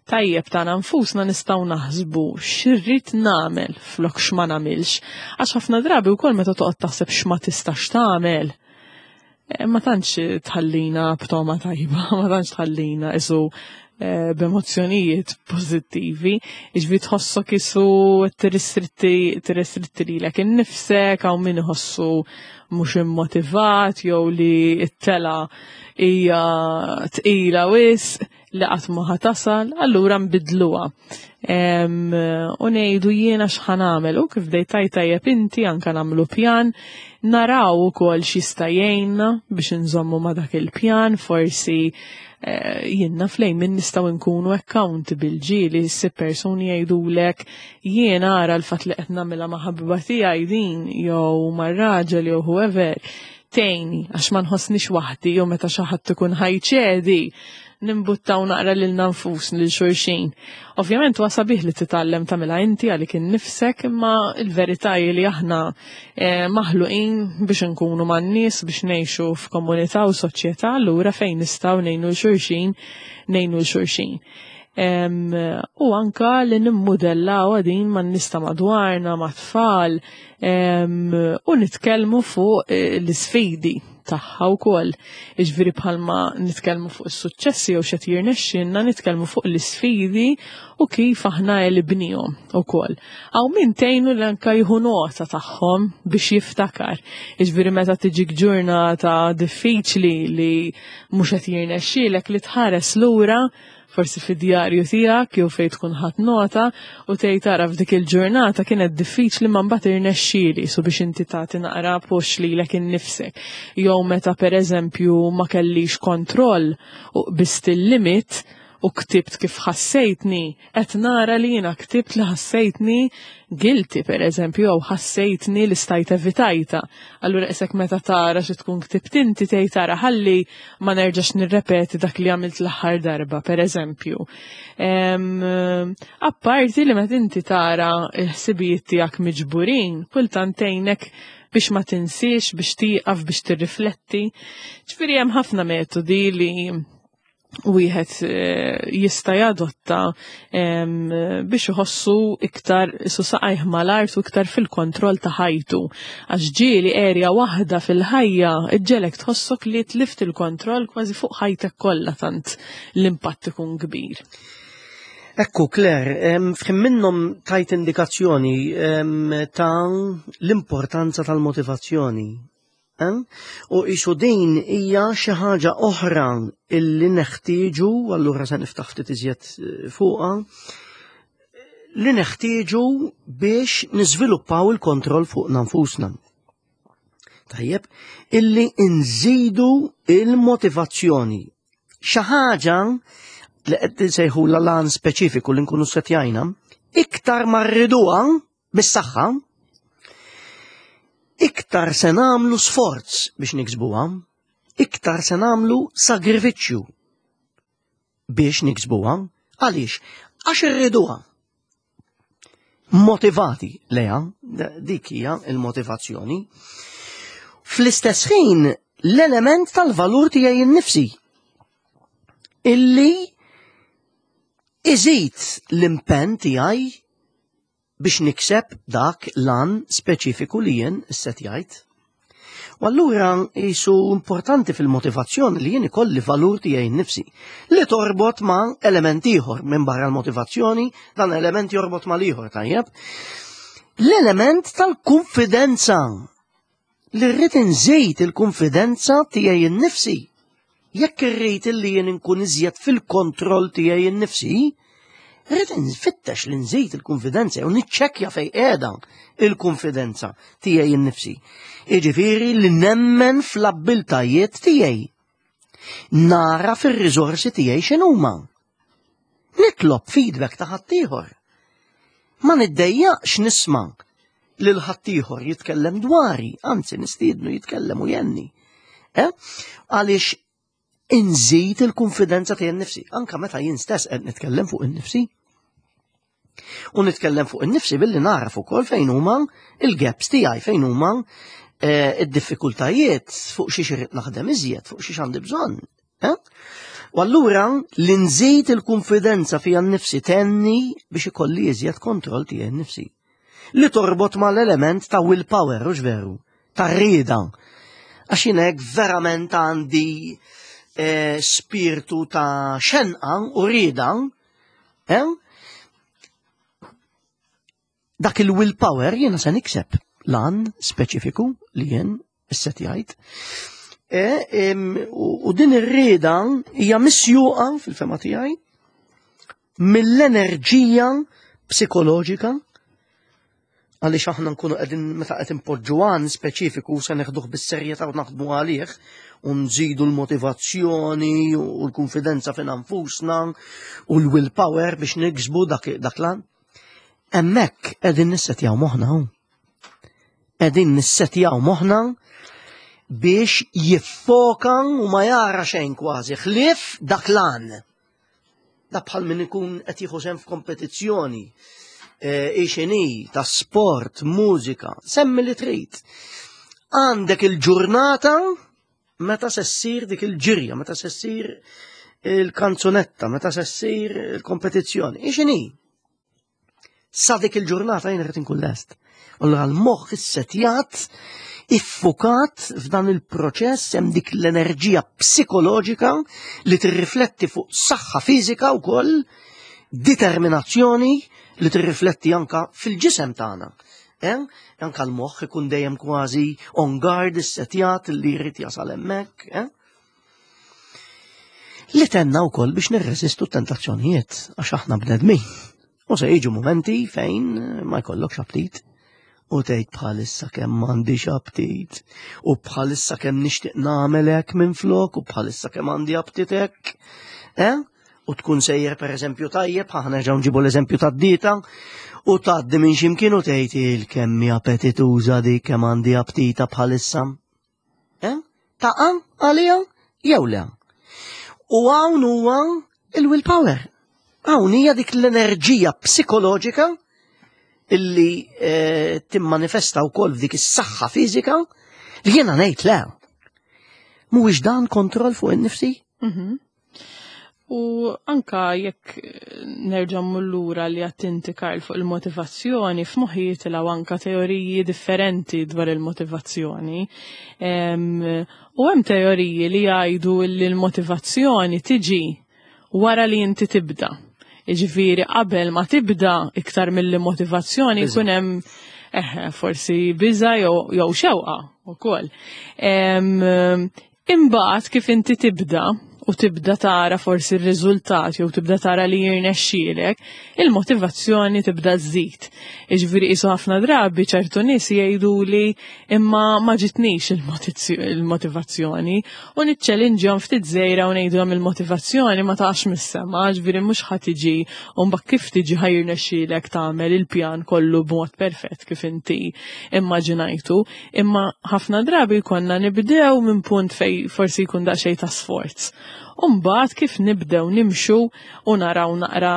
B: tajjeb tagħna nfusna, nistgħu naħsbu x'irrid nagħmel flok x'ma nagħmilx. Għax ħafna drabi wkoll meta toqgħod taħseb x'ma tistax tagħmel, ma tantx tħallina b'toma tajba, ma tantx tħallina isu b'emozzjonijiet pożittivi, iġvi tħossok isu tirrestritti lilek innifsek, hawn min iħossu mhux immotivat jew li t-tela hija tqila wisq li qatt ma ħa tasal, allura nbidluha. U ngħidu jiena x'ħa nagħmel u kif bdejt tajjeb inti anka nagħmlu pjan, naraw ukoll x'jista' jgħinna biex inżommu ma' dak il-pjan, forsi jiena flejn min nistgħu nkunu accountable. Ġieli ssib persuni jgħidulek jiena ara l-fatt li qed nagħmilha ma' ħabiba tiegħi din jew mar-raġel jew whoever tgħinni għax ma nħossnix waħdi, jew meta xi ħadd ikun ħa jċedi nimbuttaw naqra lil nfus lil xulxin. Ovvjament huwa sabiħ li titgħallem tagħmilha inti għalik innifsek, imma l-verità hi li aħna maħluqin biex nkunu man-nies, biex ngħixu f'komunità u soċjetà, allura fejn nistgħu ngħinu 'l xulxin, ngħinu 'l xulxin. U anka li nimmudellaw għadin man-nies ta' madwarna, ma' tfal, u nitkellmu fuq l-isfidi tagħha wkoll. Iġifieri bħalma nitkellmu fuq is-suċċessi jew x'qed jirnexxinna, nitkellmu fuq l-isfidi u kif aħna għelibnihom ukoll. Hawn min tgħinu li anka jieħu nota tagħhom biex jiftakar. Iġifieri meta tiġik ġurnata diffiċli li mhux qed jirnexxielek, li tħares lura forsi fid-djarju tiegħek jew fejn tkun ħadd nota u tgħid tara f'dik il-ġurnata kienet diffiċli ma mbagħad irnexxieli, so biex inti tagħti naqra push lilek innifsek. Jew meta pereżempju ma kellix kontroll u qbist il-limit u ktibt kif ħassejtni, qed nara li jiena ktibt li ħassejtni guilty pereżempju, jew ħassejtni li stajt evitajta. Allura isek meta tara xi tkun ktibt inti tgħid tara ħalli ma nerġax nirrepeti dak li għamilt l-aħħar darba pereżempju. Apparti li meta inti tara l-ħsibijiet tiegħek miġburin, kultant tgħinek biex ma tinsiex, biex tieqaf, biex tirrifletti. Ġifieri hemm ħafna metodi li wieħed jista' jadotta biex iħossu iktar isu saqajh mal-art u iktar fil-kontroll ta' ħajtu. Għax ġieli erja waħda fil-ħajja iġġelek tħossok li tlift il-kontroll kważi fuq ħajtek kollha, tant l-impatt ikun kbir.
A: Ekku, Claire, f'ħin minnhom tajt indikazzjoni ta' l-importanza tal-motivazzjoni. U isu din hija xi ħaġa oħra illi neħtieġu, allura se niftaħ ftit iżjed fuqha, li neħtieġu biex niżviluppaw il-kontroll fuq nfusna. Tajjeb, illi nżidu il-motivazzjoni. Xi ħaġa li qed insejħu l-lan speċifiku li nkunu setjajna, iktar ma rriduha bis-saħħa, iktar se nagħmlu sforz biex niksbuha, iktar se nagħmlu sagrifiċċju biex niksbuha. Għaliex? Għax irriduha. Motivati leha, dik hija il-motivazzjoni. Fl-istess ħin l-element tal-valur tiegħi innifsi illi iżid l-impenn tiegħi biex nikseb dak lan speċifiku li jien issetjajt. U allura jisu importanti fil-motivazzjoni li jien ikolli valur tiegħi nnifsi li torbot ma' element ieħor minn barra l-motivazzjoni, dan element jorbot ma' ieħor tajjeb. L-element tal-konfidenza li rrid inżid il-konfidenza tiegħi nnifsi. Jekk irrid illi jien inkun iżjed fil-kontroll tiegħi nnifsi, rrid nfittex li nżid il-konfidenza u niċċekkja fejn qiegħda il-konfidenza tiegħi nnifsi. Jiġifieri li nemmen fl-abbiltajiet tiegħi. Nara fir-riżorsi tiegħi x'inhuma. Nitlob feedback ta' ħaddieħor. Ma niddejjaqx nisma' lil ħaddieħor jitkellem dwari, anzi nistiednu jitkellem u jenni. Eh? Għaliex inżid il-konfidenza tiegħi nnifsi, anka meta jien stess qed nitkellem fuq innifsi. U nitkellem fuq innifsi billi naraf ukoll fejn huma il-gaps tiegħi, fejn huma eh, id-diffikultajiet fuq xi irid naħdem iżjed, fuq xi għandi bżonn. Eh? U allura li nżid il-konfidenza fija nnifsi tenni biex ikolli iżjed kontroll tiegħi nnifsi. Li torbot mal-element ta' willpower, u veru, ta' rieda. Għax jien hekk verament għandi eh, spirtu ta' xenqa u rieda, eh? Dak il-willpower jiena se nikseb lan speċifiku li jien issetjajt. E, u din ir-rieda hija misjuqa fil-fema tiegħi mill-enerġija psikoloġika għaliex aħna nkunu qegħdin meta qed impoġġu għan speċifiku se neħduh bis-serjetà u naħdmu għalih u nżidu l-motivazzjoni u l-konfidenza fina nfusna u l-willpower biex niksbu dak dak lan. Hemmhekk qegħdin nissetjaw moħħna hawn. Qegħdin nissetjaw moħħna biex jiffoka u ma jara xejn kważi ħlief dak lan. Da bħal min ikun qed jieħu sehem f'kompetizzjoni eh, ixini ta' sport, mużika, semmi li trid. Għandek il-ġurnata meta se ssir dik il-ġirja, meta se ssir il-kanzunetta, meta se ssir il-kompetizzjoni. Ixini? Sa dik il-ġurnata jien rrid inkun lest. Allura l-moħħ issetjat, iffukat f'dan il-proċess hemm dik l-enerġija psikoloġika li tirrifletti fuq saħħa fiżika wkoll, determinazzjoni li tirrifletti anka fil-ġisem tagħna. Eh? Anka l-moħħ ikun dejjem kważi on guard issetjat li jrid jasal hemmhekk. Eh? Li tenna wkoll biex nirreżistu t-tentazzjonijiet għax aħna bnedmin. U se jiġu momenti fejn ma jkollokx aptit u tgħid bħalissa kemm m'għandix aptit u bħalissa kemm nixtieq nagħmel hekk minflok u bħalissa kemm għandi aptit hekk. Eh? U tkun sejjer pereżempju tajjeb, aħna nerġgħu nġibu l-eżempju tad-dieta, u tgħaddi minn x'imkien u tgħid il-kemm hi appetituża dik kemm għandi aptita bħalissa. Eh? Taqa' għaliha jew le? U hawn huwa il-willpower. Hawn hija dik l-enerġija psikoloġika illi eh, timmanifesta wkoll f'dik is-saħħa fiżika li jiena ngħid le. Mhuwiex dan kontroll fuq in-nifsi? Mhm.
B: U anka jekk nerġa' lura li għattinti Karl fuq il-motivazzjoni, f'moħħi jitilgħu anka teoriji differenti dwar il-motivazzjoni. U hemm teoriji li jgħidu li l-motivazzjoni tiġi wara li inti tibda. Jiġifieri qabel ma tibda iktar mill-motivazzjoni jkun hemm eh, forsi biża jew xewqa wkoll. Imbagħad kif inti tibda u tibda tara forsi r-riżultat jew tibda tara li jirnexxielek, il-motivazzjoni tibda żżid. Jiġifieri qisu ħafna drabi ċertu nies jgħidu li imma ma ġitnix il-motivazzjoni u niċċelinġhom ftit żgħira u ngħidulhom il-motivazzjoni ma taqax mis-sema, ġifieri mhux ħa tiġi u mbagħad kif tiġi ħa jirnexxielek tagħmel il-pjan kollu b'mod perfett kif inti immaġinajtu. Imma ħafna drabi jkollna nibdew minn punt fej forsi jkun daqsxejn ta' sforz. U mbagħad kif nibdew nimxu u naraw naqra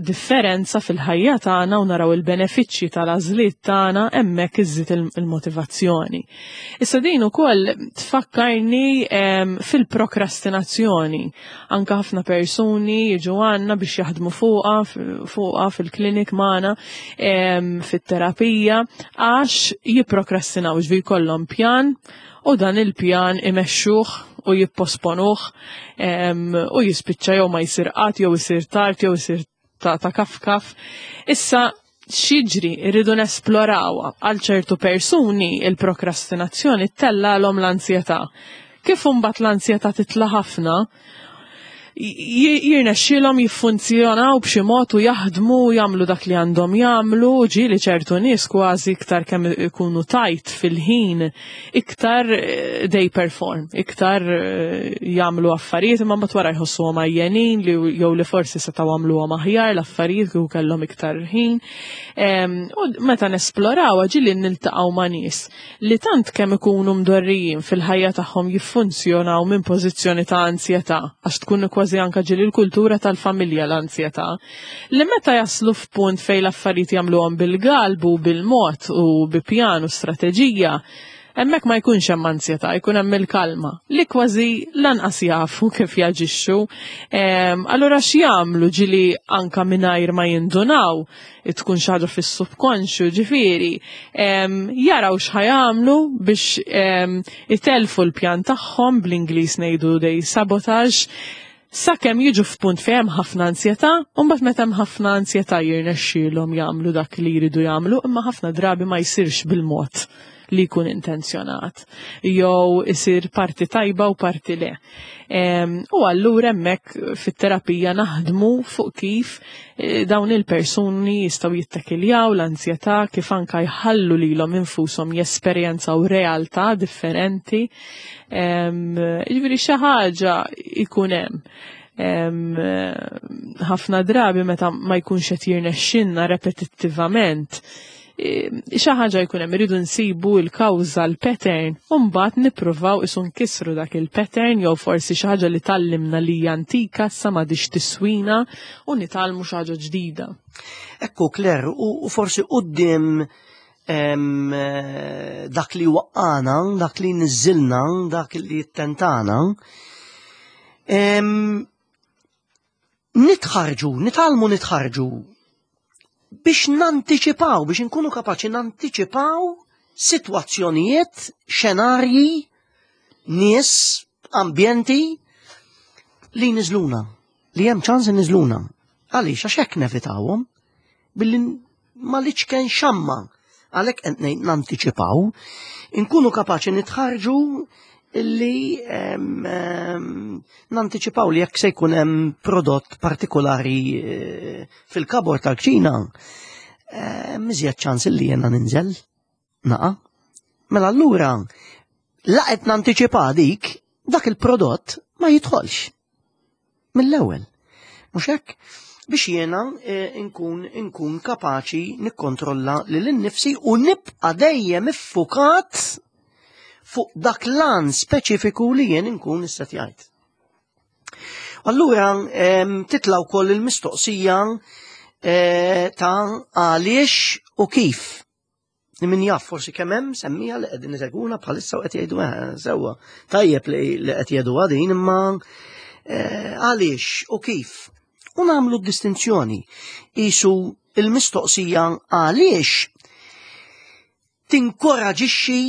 B: differenza fil-ħajja tagħna u naraw il-benefiċċji tal-għażliet tagħna hemmhekk iżżid il-motivazzjoni. Issa din ukoll tfakkarni fil-prokrastinazzjoni. Anka ħafna persuni jiġu għandna biex jaħdmu fuqha fuqha fil-klinik magħna fit-terapija għax jipprokrastinaw ġvi jkollhom pjan u dan il-pjan imexxuh u jipposponuh u jispiċċa jew ma jsir qatt jew isir tard jew isir ta', ta kaf kaf. Issa x'jiġri rridu nesplorawha għal ċertu persuni il-prokrastinazzjoni tellgħalhom l-ansjetà. Kif imbagħad l-ansjetà titla' ħafna, jirnexxielhom jiffunzjonaw b'xi mod u jaħdmu u jagħmlu dak li għandhom jagħmlu, ġieli ċertu nies kważi iktar kemm ikunu tajt fil-ħin, iktar eh, they perform, iktar eh, jagħmlu affarijiet imma mbagħad wara jħossuhom għajjenin li jew li forsi setgħu għamluhom aħjar l-affarijiet kieku kellhom iktar ħin. U meta nesploraw ġieli niltaqgħu ma' nies li tant kemm ikunu mdorrijin fil-ħajja tagħhom jiffunzjonaw minn pożizzjoni ta' anzjetà, għax tkun kważi anka ġieli l-kultura tal-familja l-anzjetà, li meta jaslu f'punt fejn l-affarijiet jagħmluhom bil-galbu, bil-mod u bi pjan u strateġija, hemmhekk ma jkunx hemm anzjetà, jkun hemm il-kalma, li kważi lanqas jafu kif jaġixxu. Allura x'jagħmlu ġieli anka mingħajr ma jindunaw, tkun xi ħaġa fis-subkonxju, ġifieri, jaraw x'ħajamlu biex itelfu l-pjan tagħhom bl-Ingliż ngħidu dej sabotage sakemm jiġu f'punt fejn hemm ħafna ansjetà, u mbagħad meta hemm ħafna ansjetà jirnexxielhom jagħmlu dak li jridu jagħmlu, imma ħafna drabi ma jsirx bil-mod li jkun intenzjonat, jew isir parti tajba u parti le. U allura hemmhekk fit-terapija naħdmu fuq kif eh, dawn il-persuni jistgħu jittakiljaw l-anzjetà, kif anka jħallu lilhom infushom jesperjenzaw realtà differenti. Jiġifieri xi ħaġa jkun hemm. Ħafna drabi meta ma jkunx qed jirnexxinna repetittivament, xi ħaġa jkun hemm iridu nsibu l-kawża l-pattern u mbagħad nippruvaw isu nkissru dak il-pattern jew forsi xi ħaġa li tallimna li hija antika issa m'għadix tiswina u nitgħallmu xi ħaġa ġdida.
A: Ekku Claire, u forsi quddiem eh, dak li waqqana, dak li niżilna, dak li jittentana, nitħarġu, nitgħallmu nitħarġu biex nantiċipaw, biex inkunu kapaċi nantiċipaw sitwazzjonijiet, xenarji, nies, ambjenti li niżluna, li hemm ċans niżluna. Għaliex għax hekk nevitawhom billi ma liċken xamma għalhekk qed ngħid nantiċipaw, inkunu kapaċi nitħarġu illi nantiċipaw li jekk se jkun hemm prodott partikolari eh, fil-kabor tal-kċina, miżjed ċans illi jena ninżel naqa. Mela allura laqet nantiċipa dik dak il-prodott ma jidħolx. Mill-ewwel. Mhux hekk? Biex jiena eh, nkun nkun kapaċi nikkontrolla lil innifsi u nibqa' dejjem iffukat fuq dak lan speċifiku li jien inkun issetjajt. Allura titla' wkoll il-mistoqsija eh, ta' għaliex u kif Li min jaf forsi kemm hemm semmija li qegħdin isegwuna bħalissa u qed jgħidu eh, sewwa. Tajjeb li qed jgħidu din imma eh, għaliex u kif. U nagħmlu distinzjoni. Isu il-mistoqsija għaliex tinkoraġixxi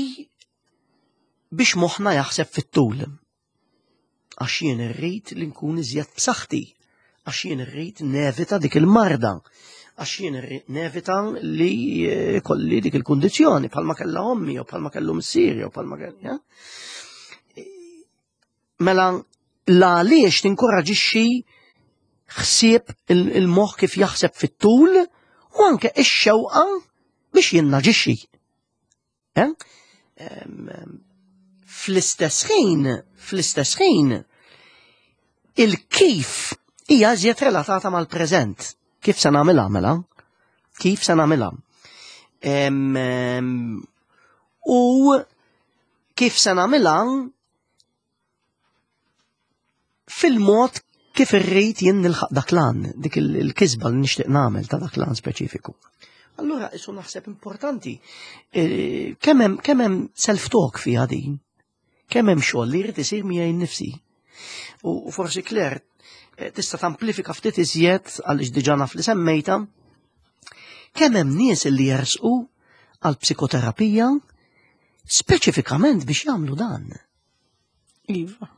A: biex moħħna jaħseb fit-tul. Għax jien irrid li nkun iżjed b'saħħti, għax jien irrid nevita dik il-marda, għax jien irrid nevita li eh, kolli dik il-kundizzjoni bħalma kellha ommi jew bħalma kellu missieri jew bħalma kellha. Mela l-għaliex tinkoraġixxi ħsieb il-moħħ kif jaħseb fit-tul u anke ix-xewqa biex jien naġixxi. Eh? Fl-istess ħin, fl-istess ħin, il-kif hija iżjed relatata mal-preżent. Kif se nagħmilha mela? Kif se nagħmilha? U kif se nagħmilha fil-mod kif irrid jien nilħaq dak lan, dik il-kisba li nixtieq nagħmel ta' dak lan speċifiku. Allura isu naħseb importanti e, kemm hemm self-talk fiha din, kemm hemm xogħol li jrid isir miegħi nnifsi. U forsi Claire e, tista' tamplifika ftit iżjed għaliex diġà naf li semmejta, kemm hemm nies li jersqu għal psikoterapija speċifikament biex jagħmlu dan.
B: Iva.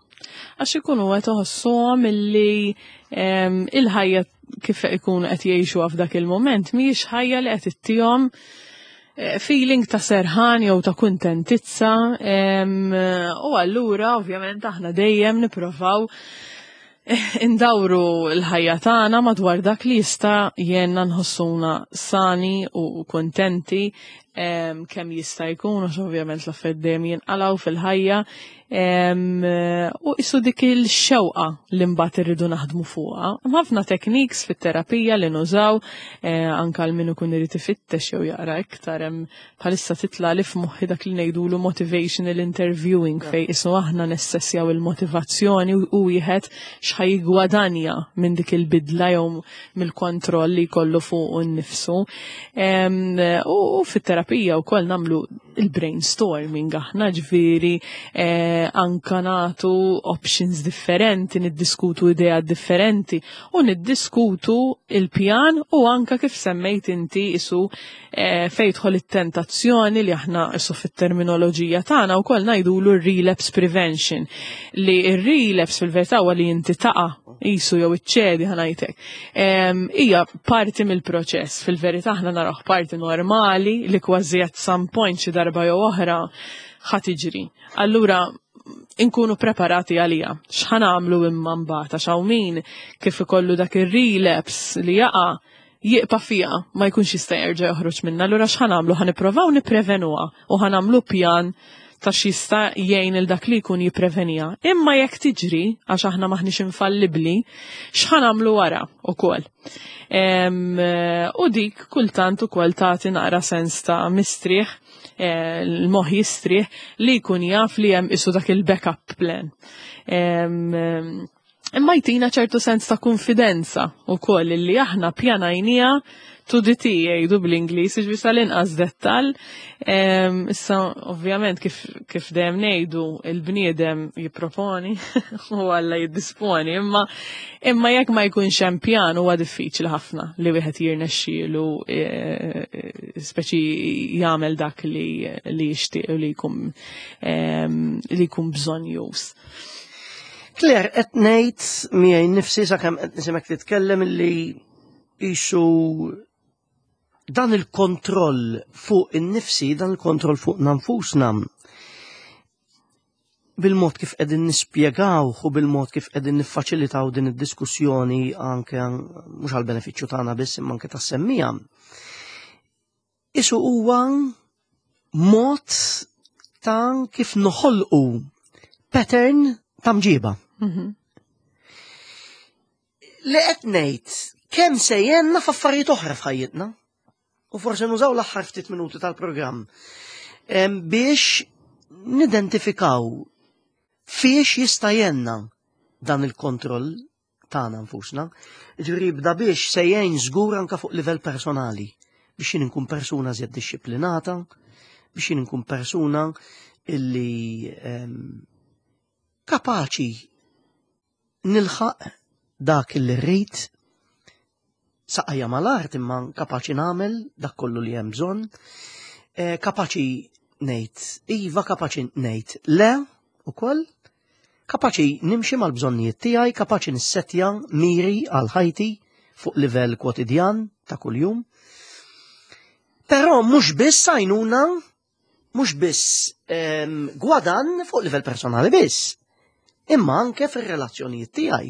B: Għax ikunu qed iħossuhom illi il-ħajja kif ikunu qed jgħixuha f'dak il-mument mhijiex ħajja li qed ittihom feeling ta' serħan jew ta' kuntentizza u allura ovvjament aħna dejjem nipprovaw indawru l-ħajja tagħna madwar dak li jista' jgħinna nħossuna sani u kuntenti kemm jista' jkun, għax ovvjament l-affarijiet dejjem jinqalgħu fil-ħajja, u isu dik il-xewqa li mbagħad irridu naħdmu fuqha. Hemm ħafna techniques fit-terapija li nużaw, anke għal min ikun irid ifittex jew jaqra iktar, hemm bħalissa titla' li f'moħħi dak li ngħidulu motivational interviewing, fejn isu aħna nessessjaw il-motivazzjoni u wieħed x'ħa jiggwadanja minn dik il-bidla jew mill-kontroll li jkollu fuq nnifsu. U fit-terapija wkoll nagħmlu il-brainstorming aħna, ġifieri anka nagħtu options differenti, niddiskutu idea differenti u niddiskutu il-pjan u anka kif semmejt inti isu fejn tidħol it-tentazzjoni li aħna isu fit-terminoloġija tagħna wkoll ngħidulu relapse prevention, li ir-relapse fil-verità huwa li inti taqa' isu jew iċċedi, ħa ngħidlek. Hija parti mill-proċess, fil-verità aħna naraw parti normali li kważi at some point xi darba jew oħra ħa tiġri. Allura inkunu preparati għalija. X'ħa nagħmlu imma mbagħad, għax hawn min kif ikollu dak ir-relapse li jaqa' jiqpa' fija, ma jkunx jista' jerġa' joħroġ minna. Allura x'ħa nagħmlu? Ħa nipprovaw nipprevenuha u ħa nagħmlu pjan ta' x'jista' jgħin il dak li jkun jipprevenija. Imma jekk tiġri, għax aħna maħniex infallibbli, x'ħa nagħmlu wara ukoll? U dik kultant ukoll tagħti naqra sens ta' mistrieħ, l-moħħ jistrieħ li jkun jaf li hemm isu dak il-backup plan. Imma jtina ċertu sens ta' konfidenza ukoll li aħna pjanajnija to the T, jgħidu bl-Ingliż, ġifieri sal-inqas dettal. Issa, ovvjament, kif dejjem ngħidu, il-bniedem jipproponi u Alla jiddisponi, imma jekk ma jkunx hemm pjan huwa diffiċli ħafna li wieħed jirnexxielu speċi jagħmel dak li jixtieq u li jkun bżonnjuż.
A: Claire, qed ngħid miegħi nnifsi sakemm qed nisimek titkellem li isu dan il-kontroll fuq in-nifsi, dan il-kontroll fuq nfusna, bil-mod kif qegħdin nispjegaw u bil-mod kif qegħdin niffaċilitaw din id-diskussjoni anke mhux għall-benefiċċju tagħna biss imma anke tas-semmiegħa. Isu huwa mod ta' kif noħolqu pattern ta' mġiba. Li qed ngħid kemm se jgħinna f'affarijiet oħra f'ħajjitna. U forsi nużaw l-aħħar ftit minuti tal-programm biex nidentifikaw fiex jista' jgħinna dan il-kontroll tagħna nfusna. Ġifieri jibda biex se jgħin żgur anke fuq livell personali, biex jien inkun persuna żjed dixxiplinata, biex jien inkun persuna illi kapaċi nilħaq dak illi rrid, saqajja mal-art imma kapaċi nagħmel dak kollu li hemm bżonn, kapaċi ngħid iva, kapaċi ngħid le ukoll, kapaċi nimxi mal-bżonnijiet tiegħi, kapaċi nissetja miri għal ħajti fuq livell kwotidjan ta' kuljum. Però mhux biss għajnuna, mhux biss gwadan fuq livell personali biss, imma anke fir-relazzjonijiet tiegħi,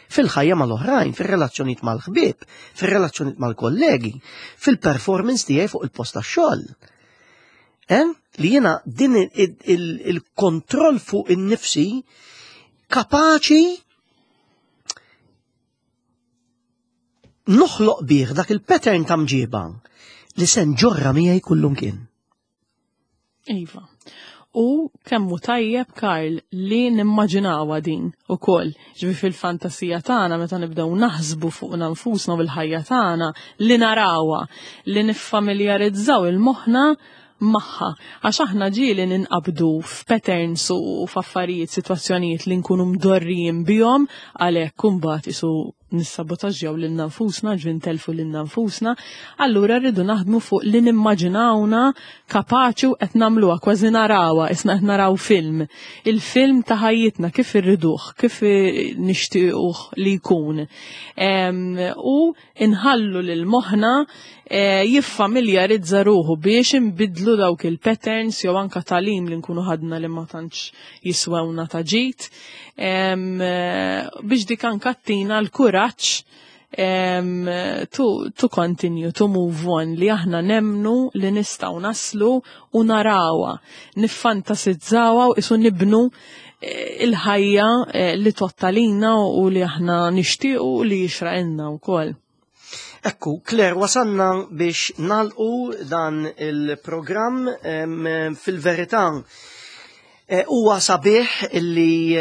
A: fil-ħajja mal-oħrajn, fir-relazzjonijiet mal-ħbieb, fir-relazzjonijiet mal-kollegi, fil-performance tiegħi fuq il-post tax-xogħol. Li jiena din il-kontroll fuq in-nifsi kapaċi noħloq bih dak il-pattern ta' mġiba li se nġorra miegħi kullum kien.
B: Iva. U kemmu tajjeb, Karl, li nimmaġinawha din ukoll. Ġifi fil-fantasija tagħna meta nibdew naħsbu fuq nfusna u bil-ħajja tagħna li narawha, li niffamiljarizzaw il-moħħna magħha. Għax aħna ġieli ninqabdu f'patterns u f'affarijiet, sitwazzjonijiet li nkunu mdorrijin bihom, għalhekk imbagħad isu nissabotaġġjaw lilna nfusna, ġvi ntelfu lilna nfusna, allura rridu naħdmu fuq li nimmaġinawna kapaċi u qed nagħmluha kważi narawha, isna qed naraw film. Il-film ta' ħajjitna kif irriduh, kif nixtiequh li jkun. U inħallu lil moħħna eh, jiffamiljarizza ruħu biex inbidlu dawk il-patterns jew anka talim li nkunu ħadna li ma tantx jiswewna ta' ġid eh, biex dik anka tina l-kuraġġ to, to continue, to move on, li aħna nemnu li nistgħu naslu u narawa, niffantasizzawa u isu nibnu eh, il-ħajja eh, li tottalina u li aħna nixtiequ u li jixraqilna wkoll.
A: Ekku, Claire, wasanna biex nalqu dan il-programm fil-verità eh, huwa sabiħ illi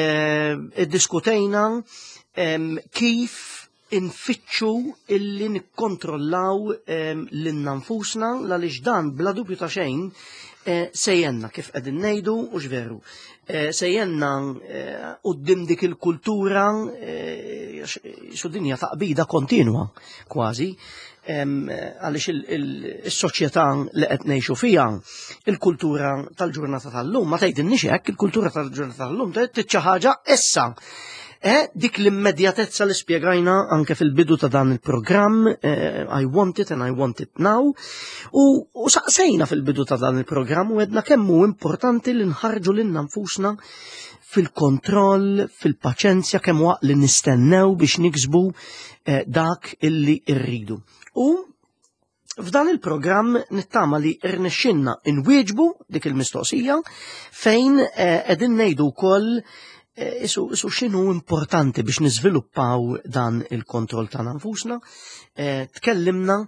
A: iddiskutejna kif infittxu illi nikkontrollaw lilna nfusna għaliex dan bla dubju ta' xejn eh, sejjenna kif qegħdin ngħidu u x'veru. Eh, sejjenna eh, quddiem dik il-kultura su dinja taqbida kontinwa kważi għaliex il-soċjetà li qed ngħixu fiha, il-kultura tal-ġurnata tal-lum, ma tgħidilniex hekk, il-kultura tal-ġurnata tal-lum tgħid xi ħaġa issa. Eh, dik l-immedjatezza li spjegajna anke fil-bidu ta' dan il-programm, eh, I want it and I want it now, u, u saqsejna fil-bidu ta' dan il-programm u għedna kemm hu importanti li nħarġu lilna nfusna fil-kontroll, fil-paċenzja, kemm waqt li nistennew biex niksbu eh, dak illi rridu. U F'dan il-programm nittama li rnexxinna inwieġbu dik il-mistoqsija fejn eh, qegħdin ngħidu wkoll eh, isu, isu x'inhu importanti biex niżviluppaw dan il-kontroll tagħna nfusna. Eh, tkellimna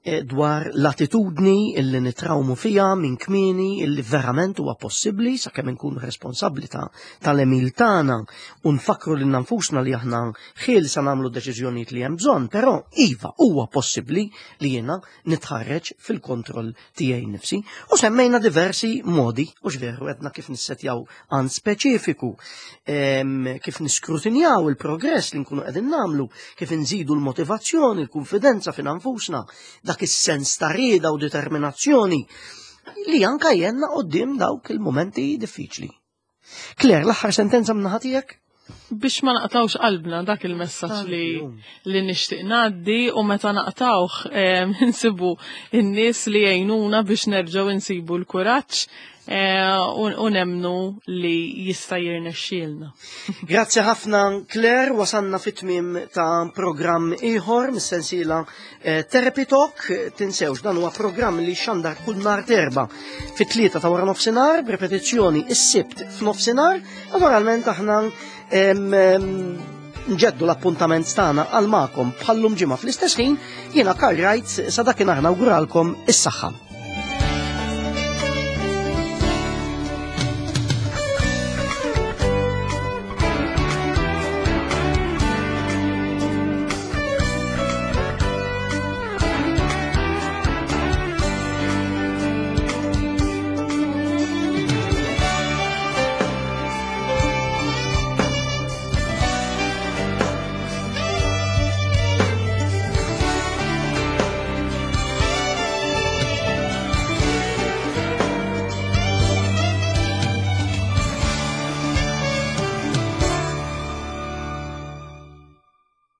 A: dwar l-attitudni illi nitrawmu fija minn kmieni illi verament huwa possibbli sakemm inkunu responsabbli ta' tal-emil tagħna u nfakru lil nfusna li aħna ħielsa nagħmlu deċiżjonijiet li hemm bżonn, però iva huwa possibbli li jiena nitħarreġ fil-kontroll tiegħi nnifsi. U semmejna diversi modi, u x'veru għedna kif nissetjaw għan speċifiku, kif niskrutinjaw il-progress li nkunu qegħdin nagħmlu, kif inżidu l-motivazzjoni, l-konfidenza fin nfusna, dak is-sens ta' rieda u determinazzjoni li anka jenna qoddim dawk il-momenti diffiċli. Claire, l-aħħar sentenza minn tiegħek?
B: Biex ma naqtawx qalbna dak il-messaġġ li li nixtieq ngħaddi u meta naqtawh insibu n-nies li jgħinuna biex nerġgħu insibu l-kuraġġ eh, u nemnu li jista' jirnexxielna.
A: Grazzi ħafna Claire, wasanna fit-tmiem ta' programm ieħor mis-sensiela Eh, Therapy Talk, tinsewx, dan huwa programm li xandar kull nar terba fit-tlieta ta' wara nofsinhar, b'repetizzjoni is-sibt f'nofsinhar, naturalment aħna nġeddu l-appuntament tagħna għal magħkom bħallum ġimgħa fl-istess ħin, jiena Karl Wright sa dakinhar nawguralkom is-saħħa.